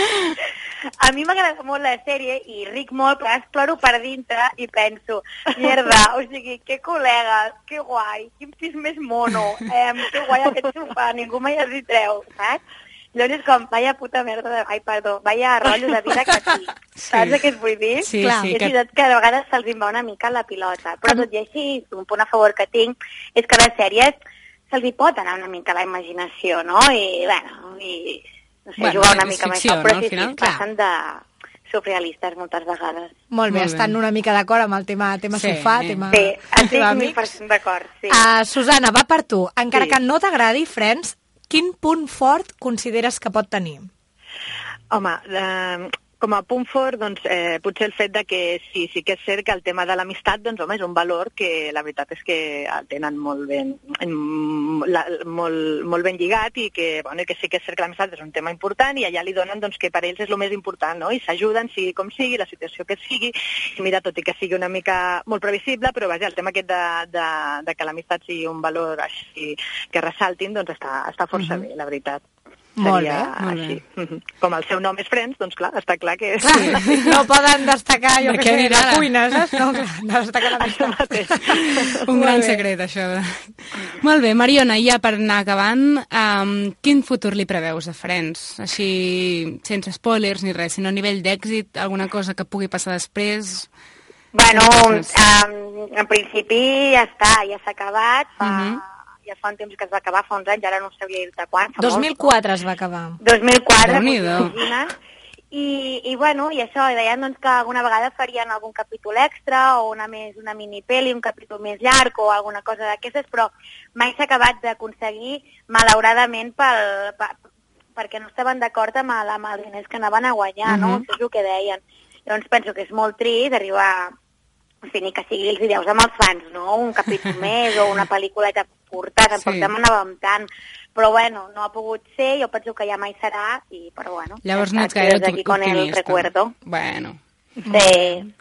A mi m'agrada molt la sèrie i ric molt, però es ploro per dintre i penso, mierda, o sigui, que col·legues, que guai, quin pis més mono, eh, que guai aquest sofà, ningú mai es hi treu, saps? Llavors és com, vaya puta merda, de... ai, perdó, vaya rotllo de vida que tinc. Sí. Saps què et vull dir? Sí, Clar, sí, és que... veritat que a vegades se'ls va una mica la pilota, però tot i així, un punt a favor que tinc és que les sèries se'ls hi pot anar una mica la imaginació, no? I, bueno, i, no sé, bueno, jugar una mica amb això, però no, sí, sí, passen de surrealistes moltes vegades. Molt bé, Molt estan bé. una mica d'acord amb el tema, tema sí, sofà, sí. tema... Sí, estic mil per cent d'acord, sí. Uh, Susana, va per tu. Encara Sí. que no t'agradi Friends, quin punt fort consideres que pot tenir? Home, eh, com a punt fort, doncs, eh, potser el fet de que sí, sí que és cert que el tema de l'amistat, doncs, home, és un valor que la veritat és que el tenen molt ben, la, molt, molt ben lligat i que, bueno, que sí que és cert que l'amistat és un tema important i allà li donen doncs, que per ells és el més important, no? I s'ajuden, sigui com sigui, la situació que sigui, i mira, tot i que sigui una mica molt previsible, però vaja, el tema aquest de, de, de que l'amistat sigui un valor així que ressaltin, doncs està, està força uh-huh. bé, la veritat. Molt Seria bé, molt així. bé. Com el seu nom és Friends, doncs clar, està clar que... Clar, sí. No poden destacar, jo De que què sé, dirà? la cuina, saps? No, clar, no destacar la missió. Un gran secret, això. Molt bé, Mariona, ja per anar acabant, um, quin futur li preveus a Friends? Així, sense spoilers ni res, sinó a nivell d'èxit, alguna cosa que pugui passar després... Bueno, um, en principi ja està, ja s'ha acabat, fa... Uh-huh. Ja fa un temps que es va acabar, fa uns anys, ara no sabria dir-te quan. dos mil quatre es va acabar. dos mil quatre, Déu-n'hi-do. I, i bueno, i això, i deien doncs, que alguna vegada farien algun capítol extra o una, més, una minipeli, un capítol més llarg o alguna cosa d'aquestes, però mai s'ha acabat d'aconseguir, malauradament, pel, per, perquè no estaven d'acord amb, el, amb els diners que anaven a guanyar, uh-huh. no? Això és el que deien. Llavors penso que és molt trist arribar... O sigui, ni que sigui els ideus amb els fans, no? Un capítol més o una pel·lículeta curta, tampoc sí. demanàvem tant. Però bueno, no ha pogut ser, jo penso que ja mai serà, i però bueno. Llavors no ets gaire optimista. Con el recuerdo. Bueno. Sí.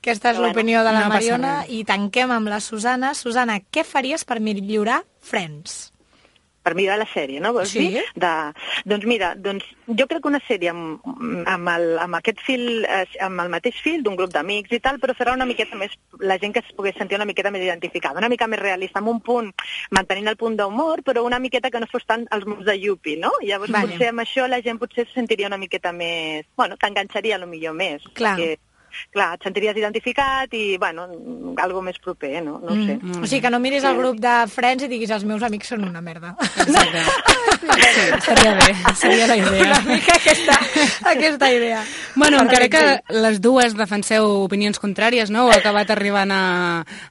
Aquesta és bueno, l'opinió de la no Mariona i tanquem amb la Susana. Susana, què faries per millorar Friends? per millorar la sèrie, no? Vols Sí. dir? De, doncs mira, doncs jo crec que una sèrie amb, amb, el, amb aquest fil, eh, amb el mateix fil d'un grup d'amics i tal, però serà una miqueta més, la gent que es pogués sentir una miqueta més identificada, una mica més realista, amb un punt, mantenint el punt d'humor, però una miqueta que no fos tant els mots de Yupi, no? Llavors Vale. potser amb això la gent potser se sentiria una miqueta més, bueno, t'enganxaria a lo millor més. Clar. Perquè, clar, et sentiries identificat i, bueno, algo més proper, no? No ho sé. Mm. O sigui, que no miris el grup de Friends i diguis els meus amics són una merda. Exacte. Sí, estaria bé, seria la idea. Una mica aquesta, aquesta idea. Bueno, encara que les dues defenseu opinions contràries, no? Heu acabat arribant a,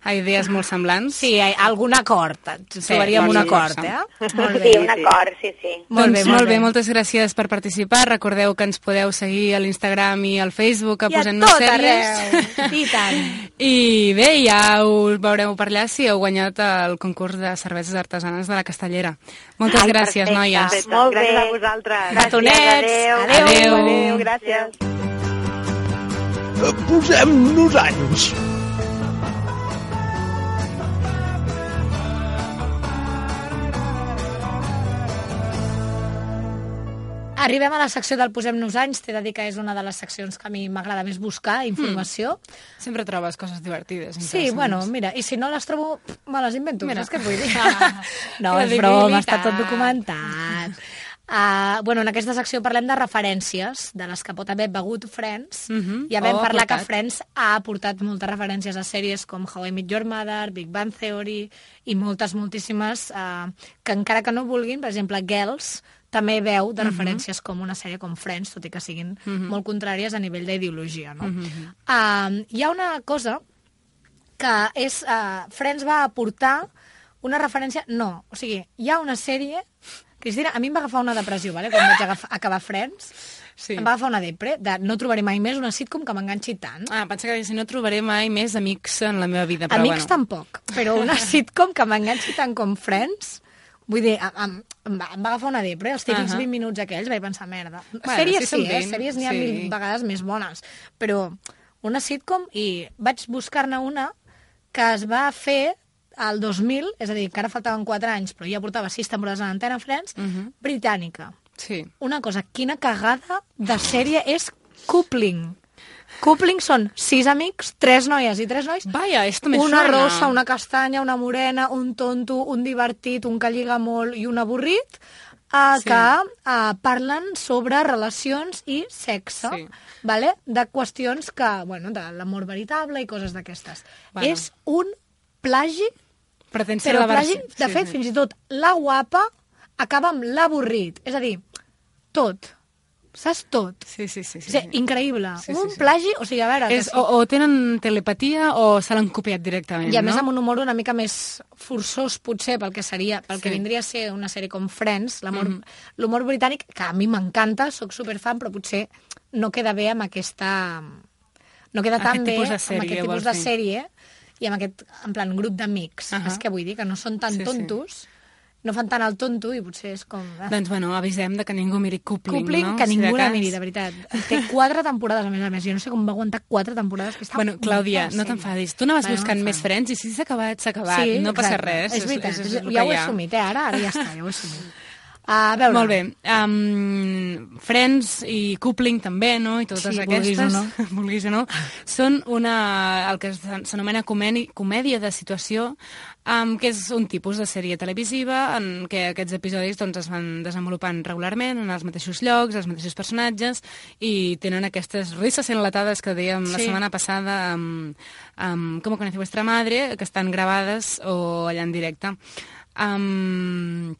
a idees molt semblants. Sí, algun acord. Trobaríem un acord, eh? Molt bé. Sí, un acord, sí, sí. Molt bé, molt bé, moltes gràcies per participar. Recordeu que ens podeu seguir a l'Instagram i al Facebook a I a Posem-nos tot Sèries. arreu. I tant. I bé, ja us veureu per allà si heu guanyat el concurs de cerveses artesanes de la Castellera. Moltes Ai, gràcies, perfecte. noies. Perfecte. Molt bé. Gràcies a vosaltres. Gatonets. Adéu. Adéu. Adéu. Adéu. Gràcies. Posem-nos anys. Arribem a la secció del Posem-nos anys. T'he de dir que és una de les seccions que a mi m'agrada més buscar, informació. Mm. Sempre trobes coses divertides. Sí, bueno, mira, i si no les trobo, me les invento. Mira. Saps què et vull dir? No, és broma, està tot documentat. Uh, bueno, en aquesta secció parlem de referències, de les que pot haver begut Friends. Mhm. Ja vam Oh, parlar que aportat. Friends ha aportat moltes referències a sèries com How I Met Your Mother, Big Bang Theory i moltes, moltíssimes, uh, que encara que no vulguin, per exemple, Girls, també veu de Mhm. referències com una sèrie com Friends, tot i que siguin Mhm. molt contràries a nivell d'ideologia, no? Mhm. Uh, hi ha una cosa que és... Uh, Friends va aportar una referència... No, o sigui, hi ha una sèrie... Cristina, a mi em va agafar una depressió, vale? Quan vaig agafar, acabar Friends. Sí. Em va agafar una depre, de no trobaré mai més una sitcom que m'enganxi tant. Ah, pensa que si no trobaré mai més amics en la meva vida. Però Amics bueno. tampoc, però una sitcom que m'enganxi tant com Friends... Vull dir, em, em, va, em va agafar una depre, els típics Ahà. vint minuts aquells, vaig pensar, merda. Bueno, Sèries sí, sí, són eh? vint, Sèries n'hi ha sí. mil vegades més bones, però una sitcom, i vaig buscar-ne una que es va fer al dos mil, és a dir, que ara faltaven quatre anys, però ja portava sis temporades en Antena Friends, Mhm. britànica. Sí. Una cosa, quina cagada de sèrie és Coupling. Coupling són sis amics, tres noies i tres nois. Vaja, esto me Una suena. rossa, una castanya, una morena, un tonto, un divertit, un que lliga molt i un avorrit, uh, Sí. que uh, parlen sobre relacions i sexe, Sí. vale? De qüestions que, bueno, de l'amor veritable i coses d'aquestes. Bueno. És un plagi, Pretén ser però la plagi, versió- de sí, fet, sí. fins i tot la guapa acaba amb l'avorrit. És a dir, tot. Saps tot? Sí, sí, sí. sí, O sigui, sí. increïble. Sí, sí, un sí. plagi, o sigui, a veure... que És, sí. o, o tenen telepatia o se l'han copiat directament, I a més no? amb un humor una mica més forçós, potser, pel que seria, pel Sí. que vindria a ser una sèrie com Friends, l'amor- Mhm. l'humor britànic, que a mi m'encanta, sóc superfan, però potser no queda bé amb aquesta... No queda tan Aquest bé tipus de amb sèrie, aquest tipus vols de dir? sèrie i amb aquest, en plan, grup d'amics. Ahà. És que vull dir que no són tan Sí, sí. tontos, no fan tant el tonto i potser és com... ah. Doncs bueno, avisem de que ningú miri Coupling, Coupling, no? que Si de ningú la cas. miri, de veritat. Té quatre temporades, a més a més. Jo no sé com va aguantar quatre temporades, que està Bueno, Clàudia, molt no fàcil. t'enfadis. Tu anaves Bueno, buscant no més Friends i si s'ha acabat, s'ha acabat. Sí, no passa exacte. res. És veritat, és, és, és, és el ja que ho he hi ha. assumit, eh? Ara, ara ja està, ja ho he assumit. A veure. Molt bé. Um, Friends i Coupling també, no? I totes Sí, aquestes, vulguis o no. vulguis o no, són una, el que s'anomena comèdia, comèdia de situació, um, que és un tipus de sèrie televisiva en què aquests episodis doncs, es van desenvolupant regularment en els mateixos llocs, els mateixos personatges, i tenen aquestes risses enlatades que dèiem la Sí. setmana passada amb, amb Com conoce vuestra madre, que estan gravades o allà en directe. Um,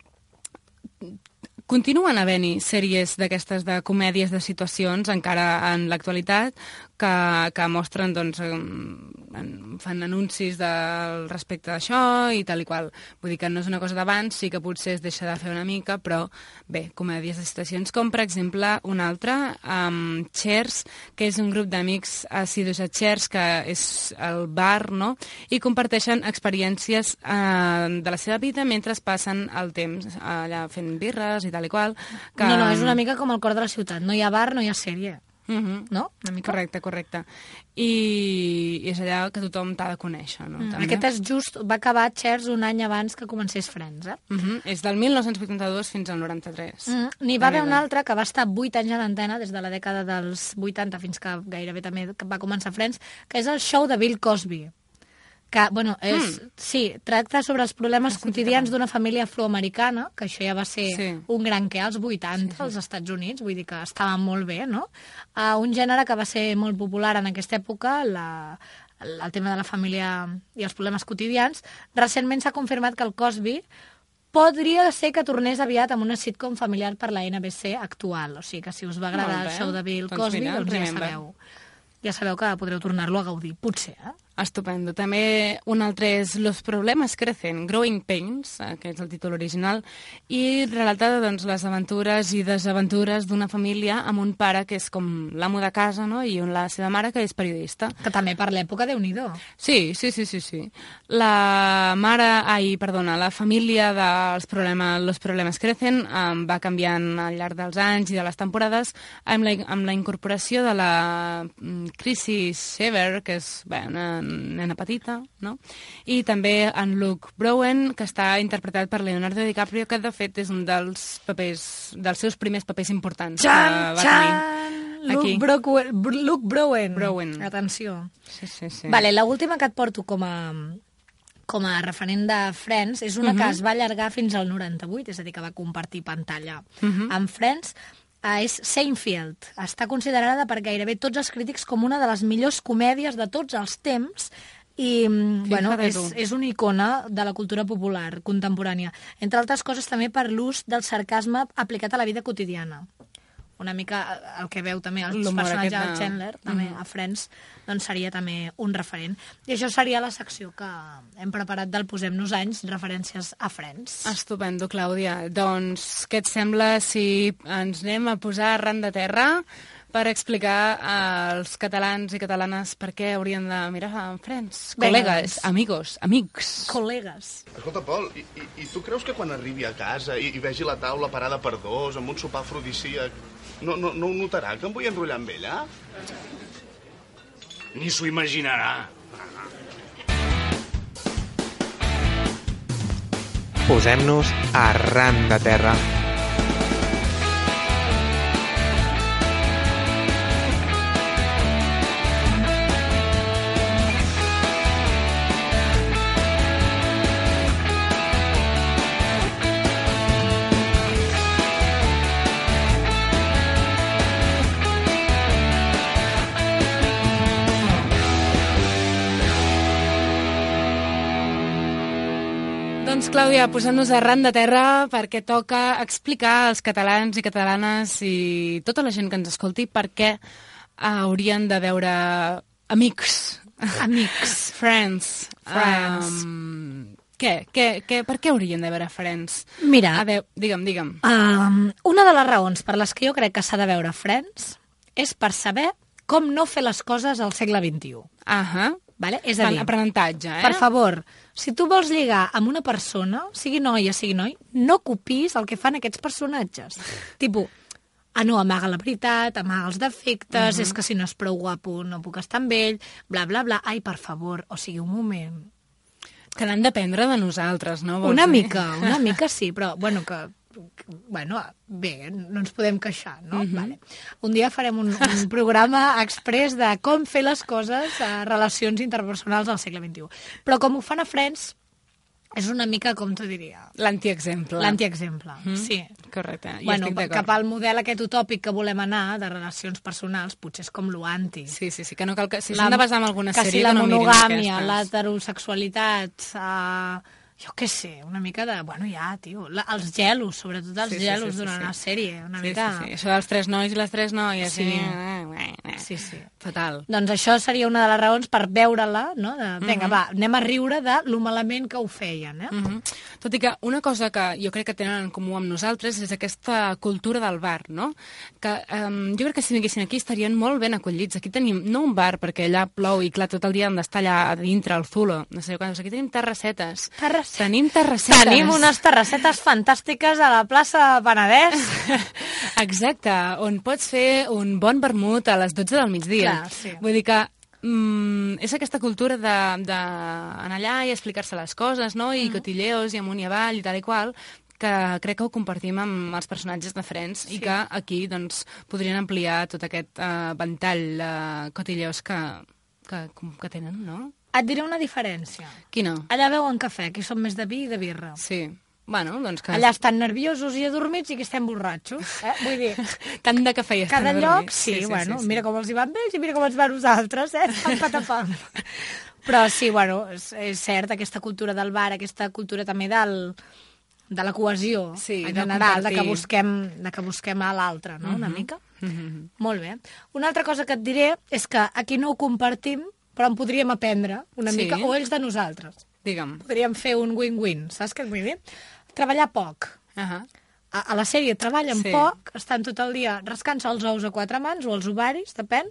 Continuen havent-hi sèries d'aquestes de comèdies de situacions encara en l'actualitat que, que mostren, doncs, en, fan anuncis del respecte d'això i tal i qual. Vull dir que no és una cosa d'abans, sí que potser es deixa de fer una mica, però bé, comèdies de situacions com, per exemple, una altra, um, Cheers, que és un grup d'amics assidus a Cheers, que és el bar, no?, i comparteixen experiències uh, de la seva vida mentre passen el temps allà fent birres i tal i qual. Que... No, no, és una mica com el cor de la ciutat. No hi ha bar, no hi ha sèrie. Mm-hmm. No? Una mica. Correcte, correcte. I, I és allà que tothom t'ha de conèixer, no? Mm. Aquest és just, va acabar Cheers un any abans que comencés Friends, eh? Mm-hmm. És del mil nou-cents vuitanta-dos fins al noranta-tres. Mm. N'hi va haver un altre que va estar vuit anys a l'antena, des de la dècada dels vuitanta fins que gairebé també va començar Friends, que és el show de Bill Cosby. Que, bueno, és, mm. sí, tracta sobre els problemes quotidians d'una família afroamericana, que això ja va ser sí. un gran que als vuitanta, sí, sí. als Estats Units, vull dir que estava molt bé, no? Uh, un gènere que va ser molt popular en aquesta època, la, el tema de la família i els problemes quotidians. Recentment s'ha confirmat que el Cosby podria ser que tornés aviat amb una sitcom familiar per la N B C actual. O sigui que si us va agradar el show de Bill Cosby, doncs, mira, doncs ja sabeu. Ja sabeu que podreu tornar-lo a gaudir, potser, eh? Estupendo. També un altre és Los problemes crecen, Growing Pains, que és el títol original, i relata doncs, les aventures i desaventures d'una família amb un pare que és com l'amo de casa, no? I la seva mare, que és periodista. Que també per l'època, Déu-n'hi-do. Sí, sí, sí, sí, sí. La mare, ai, perdona, la família dels problemes, Los problemes crecen um, va canviant al llarg dels anys i de les temporades amb la, amb la incorporació de la um, Chrissy Shaver, que és bé, una nena petita, no? I també en Luke Browen, que està interpretat per Leonardo DiCaprio, que de fet és un dels papers, dels seus primers papers importants. Txan, txan! Luke, Browen, Luke Browen. Browen. Atenció. Sí, sí, sí. Vale, l'última que et porto com a, com a referent de Friends és una uh-huh. que es va allargar fins al noranta-vuit, és a dir, que va compartir pantalla uh-huh. amb Friends. Uh, és Seinfeld. Està considerada per gairebé tots els crítics com una de les millors comèdies de tots els temps i sí, bueno, és, és una icona de la cultura popular contemporània. Entre altres coses també per l'ús del sarcasme aplicat a la vida quotidiana. Una mica el que veu també el personatge de Chandler, també mm. a Friends, doncs seria també un referent. I això seria la secció que hem preparat del Posem-nos anys, referències a Friends. Estupendo, Clàudia. Doncs què et sembla si ens anem a posar arran de terra per explicar als catalans i catalanes per què haurien de mirar Friends? Col·legues, amigos, amics. Col·legues. Escolta, Pol, i, i, i tu creus que quan arribi a casa i, i vegi la taula parada per dos, amb un sopar afrodisíac, no, no, no ho notarà, que em vull enrotllar amb ella? Ni s'ho imaginarà. Posem-nos arran de terra. Doncs, Clàudia, posant-nos arran de terra perquè toca explicar als catalans i catalanes i tota la gent que ens escolti per què haurien de veure Amics. Amics. Friends. Friends. Um, què? Què, què? Per què haurien de veure Friends? Mira. A veure, digue'm, digue'm. Um, una de les raons per les que jo crec que s'ha de veure Friends és per saber com no fer les coses al segle vint-i-u. Ahà. Vale? És a dir, aprenentatge, eh? Per favor, si tu vols lligar amb una persona, sigui noia, sigui noi, no copiïs el que fan aquests personatges. Tipo, ah, no, amaga la veritat, amaga els defectes, uh-huh. és que si no és prou guapo no puc estar amb ell, bla, bla, bla. Ai, per favor, o sigui, un moment. Que n'han d'aprendre de nosaltres, no? Una dir? mica, una mica sí, però, bueno, que... Bueno, bé, no ens podem queixar, no? Uh-huh. Vale. Un dia farem un, un programa express de com fer les coses a relacions interpersonals al segle vint-i-u. Però com ho fan a Friends, és una mica, com t'ho diria... L'antiexemple. L'antiexemple, mm-hmm. sí. Correcte, jo bueno, estic d'acord. Cap al model aquest utòpic que volem anar, de relacions personals, potser és com l'anti. Sí, sí, sí, que no cal que... Si s'han de basar en alguna que sèrie, si que no mirin aquestes. Que si la monogàmia, l'heterosexualitat... Uh, jo què sé, una mica de... Bueno, ja, tio, la, els gelos, sobretot els sí, sí, gelos sí, sí, durant sí. la sèrie, una sí, mica... Sí, sí, això dels tres nois i les tres noies, sí. Sí, sí, sí. Fatal. Doncs això seria una de les raons per veure-la, no? De, vinga, uh-huh. va, anem a riure de lo malament que ho feien, eh? Uh-huh. Tot i que una cosa que jo crec que tenen en comú amb nosaltres és aquesta cultura del bar, no? Que um, jo crec que si vinguessin aquí estarien molt ben acollits. Aquí tenim, no un bar, perquè allà plou i clar, tot el dia hem d'estar allà a dintre, al zulo, no sé quan, aquí tenim terrassetes. Terrassetes. Tenim terrassetes. Tenim unes terrassetes fantàstiques a la plaça Penedès. Exacte, on pots fer un bon vermut a les dotze del migdia. Clar, sí. Vull dir que mm, és aquesta cultura d'anar allà i explicar-se les coses, no? I cotilleos, i amunt i avall, i tal i qual, que crec que ho compartim amb els personatges de Friends sí. i que aquí doncs, podrien ampliar tot aquest uh, ventall de cotilleos que, que, que tenen, no? Et diré una diferència. Quina? Allà beuen cafè, aquí som més de vi i de birra. Sí. Bueno, doncs que... Allà estan nerviosos i adormits i aquí estem borratxos. Eh? Vull dir... Tant de cafè i estan Cada adormits. lloc, sí, sí, sí bueno, sí, sí. Mira com els hi van vells i mira com ens va a nosaltres, eh? Pam, patapam. Però sí, bueno, és, és cert, aquesta cultura del bar, aquesta cultura també del, de la cohesió, sí, en de general, compartir. de que busquem, de que busquem a l'altre, no?, una Uh-huh. mica. Uh-huh. Molt bé. Una altra cosa que et diré és que aquí no ho compartim, però en podríem aprendre una Sí. mica, o ells de nosaltres. Digue'm. Podríem fer un win-win, saps què et vull dir? Treballar poc. Uh-huh. A, a la sèrie treballen Sí. poc, estan tot el dia rascant-se els ous a quatre mans o els ovaris, depèn,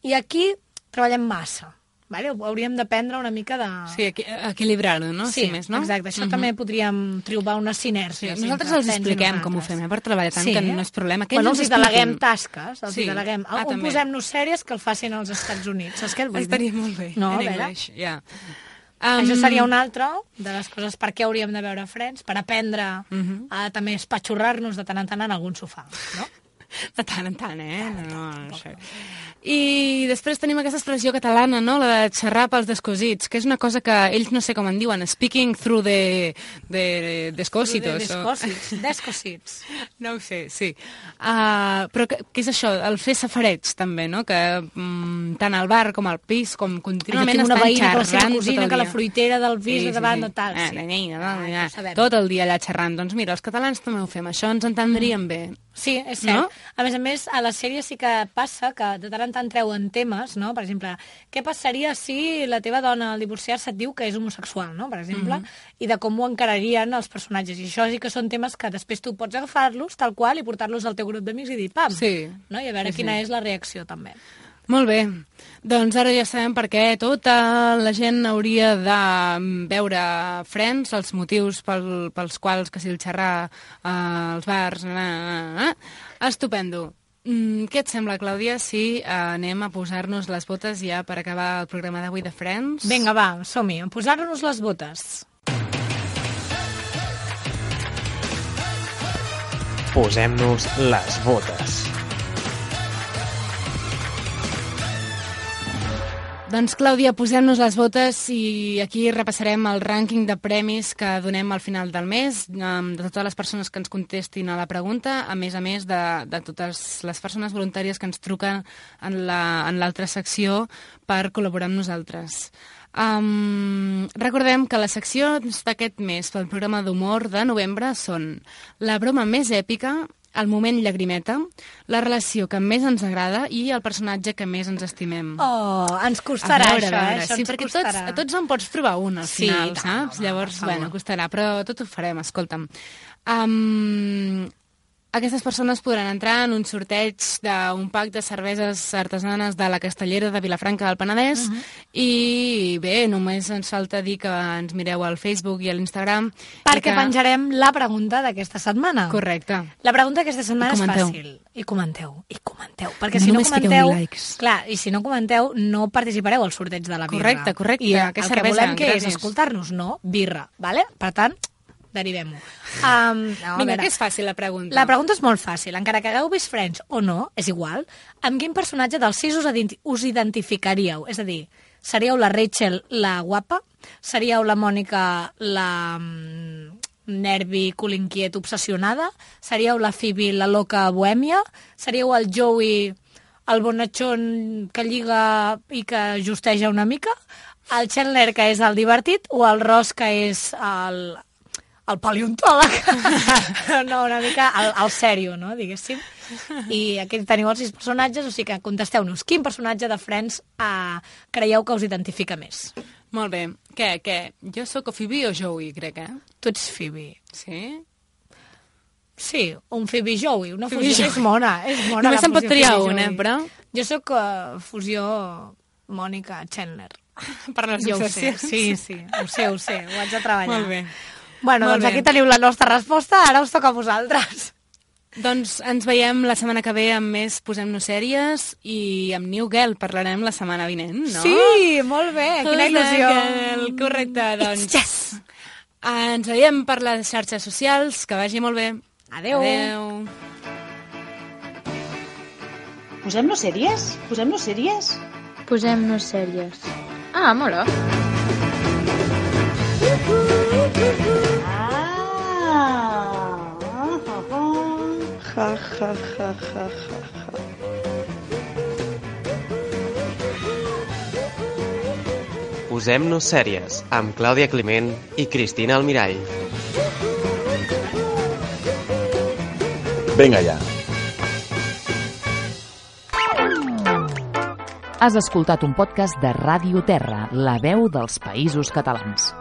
i aquí treballem massa. Vale? Hauríem d'aprendre una mica de... Sí, equi equilibrar-ho, no? Sí, si més, no? exacte. Això Uh-huh. també podríem trobar una sinergia. Sí, nosaltres els expliquem com ho fem, eh, per treballar tant, Sí. que no és problema. Que Bueno, ells els ens deleguem expliquin. tasques, els Sí. deleguem. Ah, On també. posem-nos sèries que el facin als Estats Units, saps què et vull dir? Estaria molt bé, No, a en veure. English, ja. Um, Um, Això seria una altra de les coses per què hauríem de veure Friends, per aprendre Uh-huh. a també espatxorrar-nos de tant en tant en algun sofà, no? De tant en tant, eh? No, no sé. I després tenim aquesta expressió catalana, no?, la de xerrar pels descosits, que és una cosa que ells no sé com en diuen, speaking through the, the descositos. De descosits, descosits. No ho sé, sí. Uh, però què, què és això? El fer safareig, també, no?, que mm, tant al bar com al pis, com Jo contínuament tinc una estan veïna que la seva xerrant tot cosina, el que la dia. fruitera del pis Sí, de sí, davant sí. de tal. Ah, Sí. la nina, Ah, no, ja ja. ho sabem. Tot el dia allà xerrant. Doncs mira, els catalans també ho fem, això ens entendríem bé. Sí, és cert. No? A més a més, a la sèrie sí que passa que de tant en tant treuen temes, no? Per exemple, què passaria si la teva dona al divorciar-se et diu que és homosexual, no? Per exemple, Mhm. i de com ho encararien els personatges. I això sí que són temes que després tu pots agafar-los tal qual i portar-los al teu grup d'amics i dir, pam, Sí. no? I a veure Sí, quina sí. és la reacció també. Molt bé, doncs ara ja sabem per què tota la gent hauria de veure Friends, els motius pel, pels quals, que si el xerrar eh, als bars... Na, na, na. Estupendo. Mm, què et sembla, Clàudia, si eh, anem a posar-nos les botes ja per acabar el programa d'avui de Friends? Vinga, va, som-hi, a posar-nos les botes. Posem-nos les botes. Doncs, Clàudia, posem-nos les botes i aquí repassarem el rànquing de premis que donem al final del mes, de totes les persones que ens contestin a la pregunta, a més a més de, de totes les persones voluntàries que ens truquen en la, en l'altra secció per col·laborar amb nosaltres. Um, recordem que les seccions d'aquest mes pel programa d'humor de novembre són la broma més èpica, el moment llagrimeta, la relació que més ens agrada i el personatge que més ens estimem. Oh, ens costarà A veure, això, a veure, eh? Això sí, ens perquè costarà. tots, tots en pots provar un al Sí, final, tant, saps? home, Llavors, per favor. bueno, costarà, però tot ho farem, escolta'm. Um, aquestes persones podran entrar en un sorteig d'un pack de cerveses artesanes de la Castellera de Vilafranca del Penedès Mhm. i bé, només ens falta dir que ens mireu al Facebook i a l'Instagram. Perquè que... penjarem la pregunta d'aquesta setmana. Correcte. La pregunta d'aquesta setmana I comenteu. és fàcil. I comenteu, i comenteu. Perquè No si no només fiqueu comenteu... likes. Clar, i si no comenteu, no participareu al sorteig de la birra. Correcte, correcte. I el Que que cervesa, volem que és gratis. escoltar-nos, no birra, vale? Per tant, derivem-ho. Um, no, a Vinga, veure. que és fàcil la pregunta. La pregunta és molt fàcil. Encara que hagueu vist Friends o no, és igual. Amb quin personatge dels sis us, identi us identificaríeu? És a dir, seríeu la Rachel, la guapa? Seríeu la Mònica, la mm, nervi, colinquiet, obsessionada? Seríeu la Phoebe, la loca bohèmia? Seríeu el Joey, el bonatxon que lliga i que justeja una mica? El Chandler, que és el divertit? O el Ross, que és el... el paleontòleg, no, una mica el, el sèrio, no, diguéssim. I aquí teniu els sis personatges, o sigui que contesteu-nos quin personatge de Friends eh, creieu que us identifica més. Molt bé. Què, què? Jo sóc o Phoebe o Joey, crec, eh? Tu ets Phoebe. Sí? Sí, un Phoebe Joey, una Phoebe fusió. Joey. És mona, és mona. Només la se'n pot fusió triar Phoebe una, Joey. però... Jo sóc uh, fusió Mònica Chandler. Per les jo ho sé, obsessions. sí, sí, ho sé, ho sé, ho haig de treballar. Molt bé. Bueno, Molt doncs bé. aquí teniu la nostra resposta, ara us toca a vosaltres. Doncs ens veiem la setmana que ve amb més Posem-nos sèries i amb New Girl parlarem la setmana vinent, no? Sí, molt bé, quina il·lusió. Correcte, doncs. Yes! Ens veiem per les xarxes socials, que vagi molt bé. Adeu. Adeu. Posem-nos sèries? Posem-nos sèries? Posem-nos sèries. Ah, mola. Ja, ja, ja, ja, ja. Posem-nos sèries amb Clàudia Climent i Cristina Almirall. Vinga ja. Has escoltat un podcast de Ràdio Terra, la veu dels Països Catalans.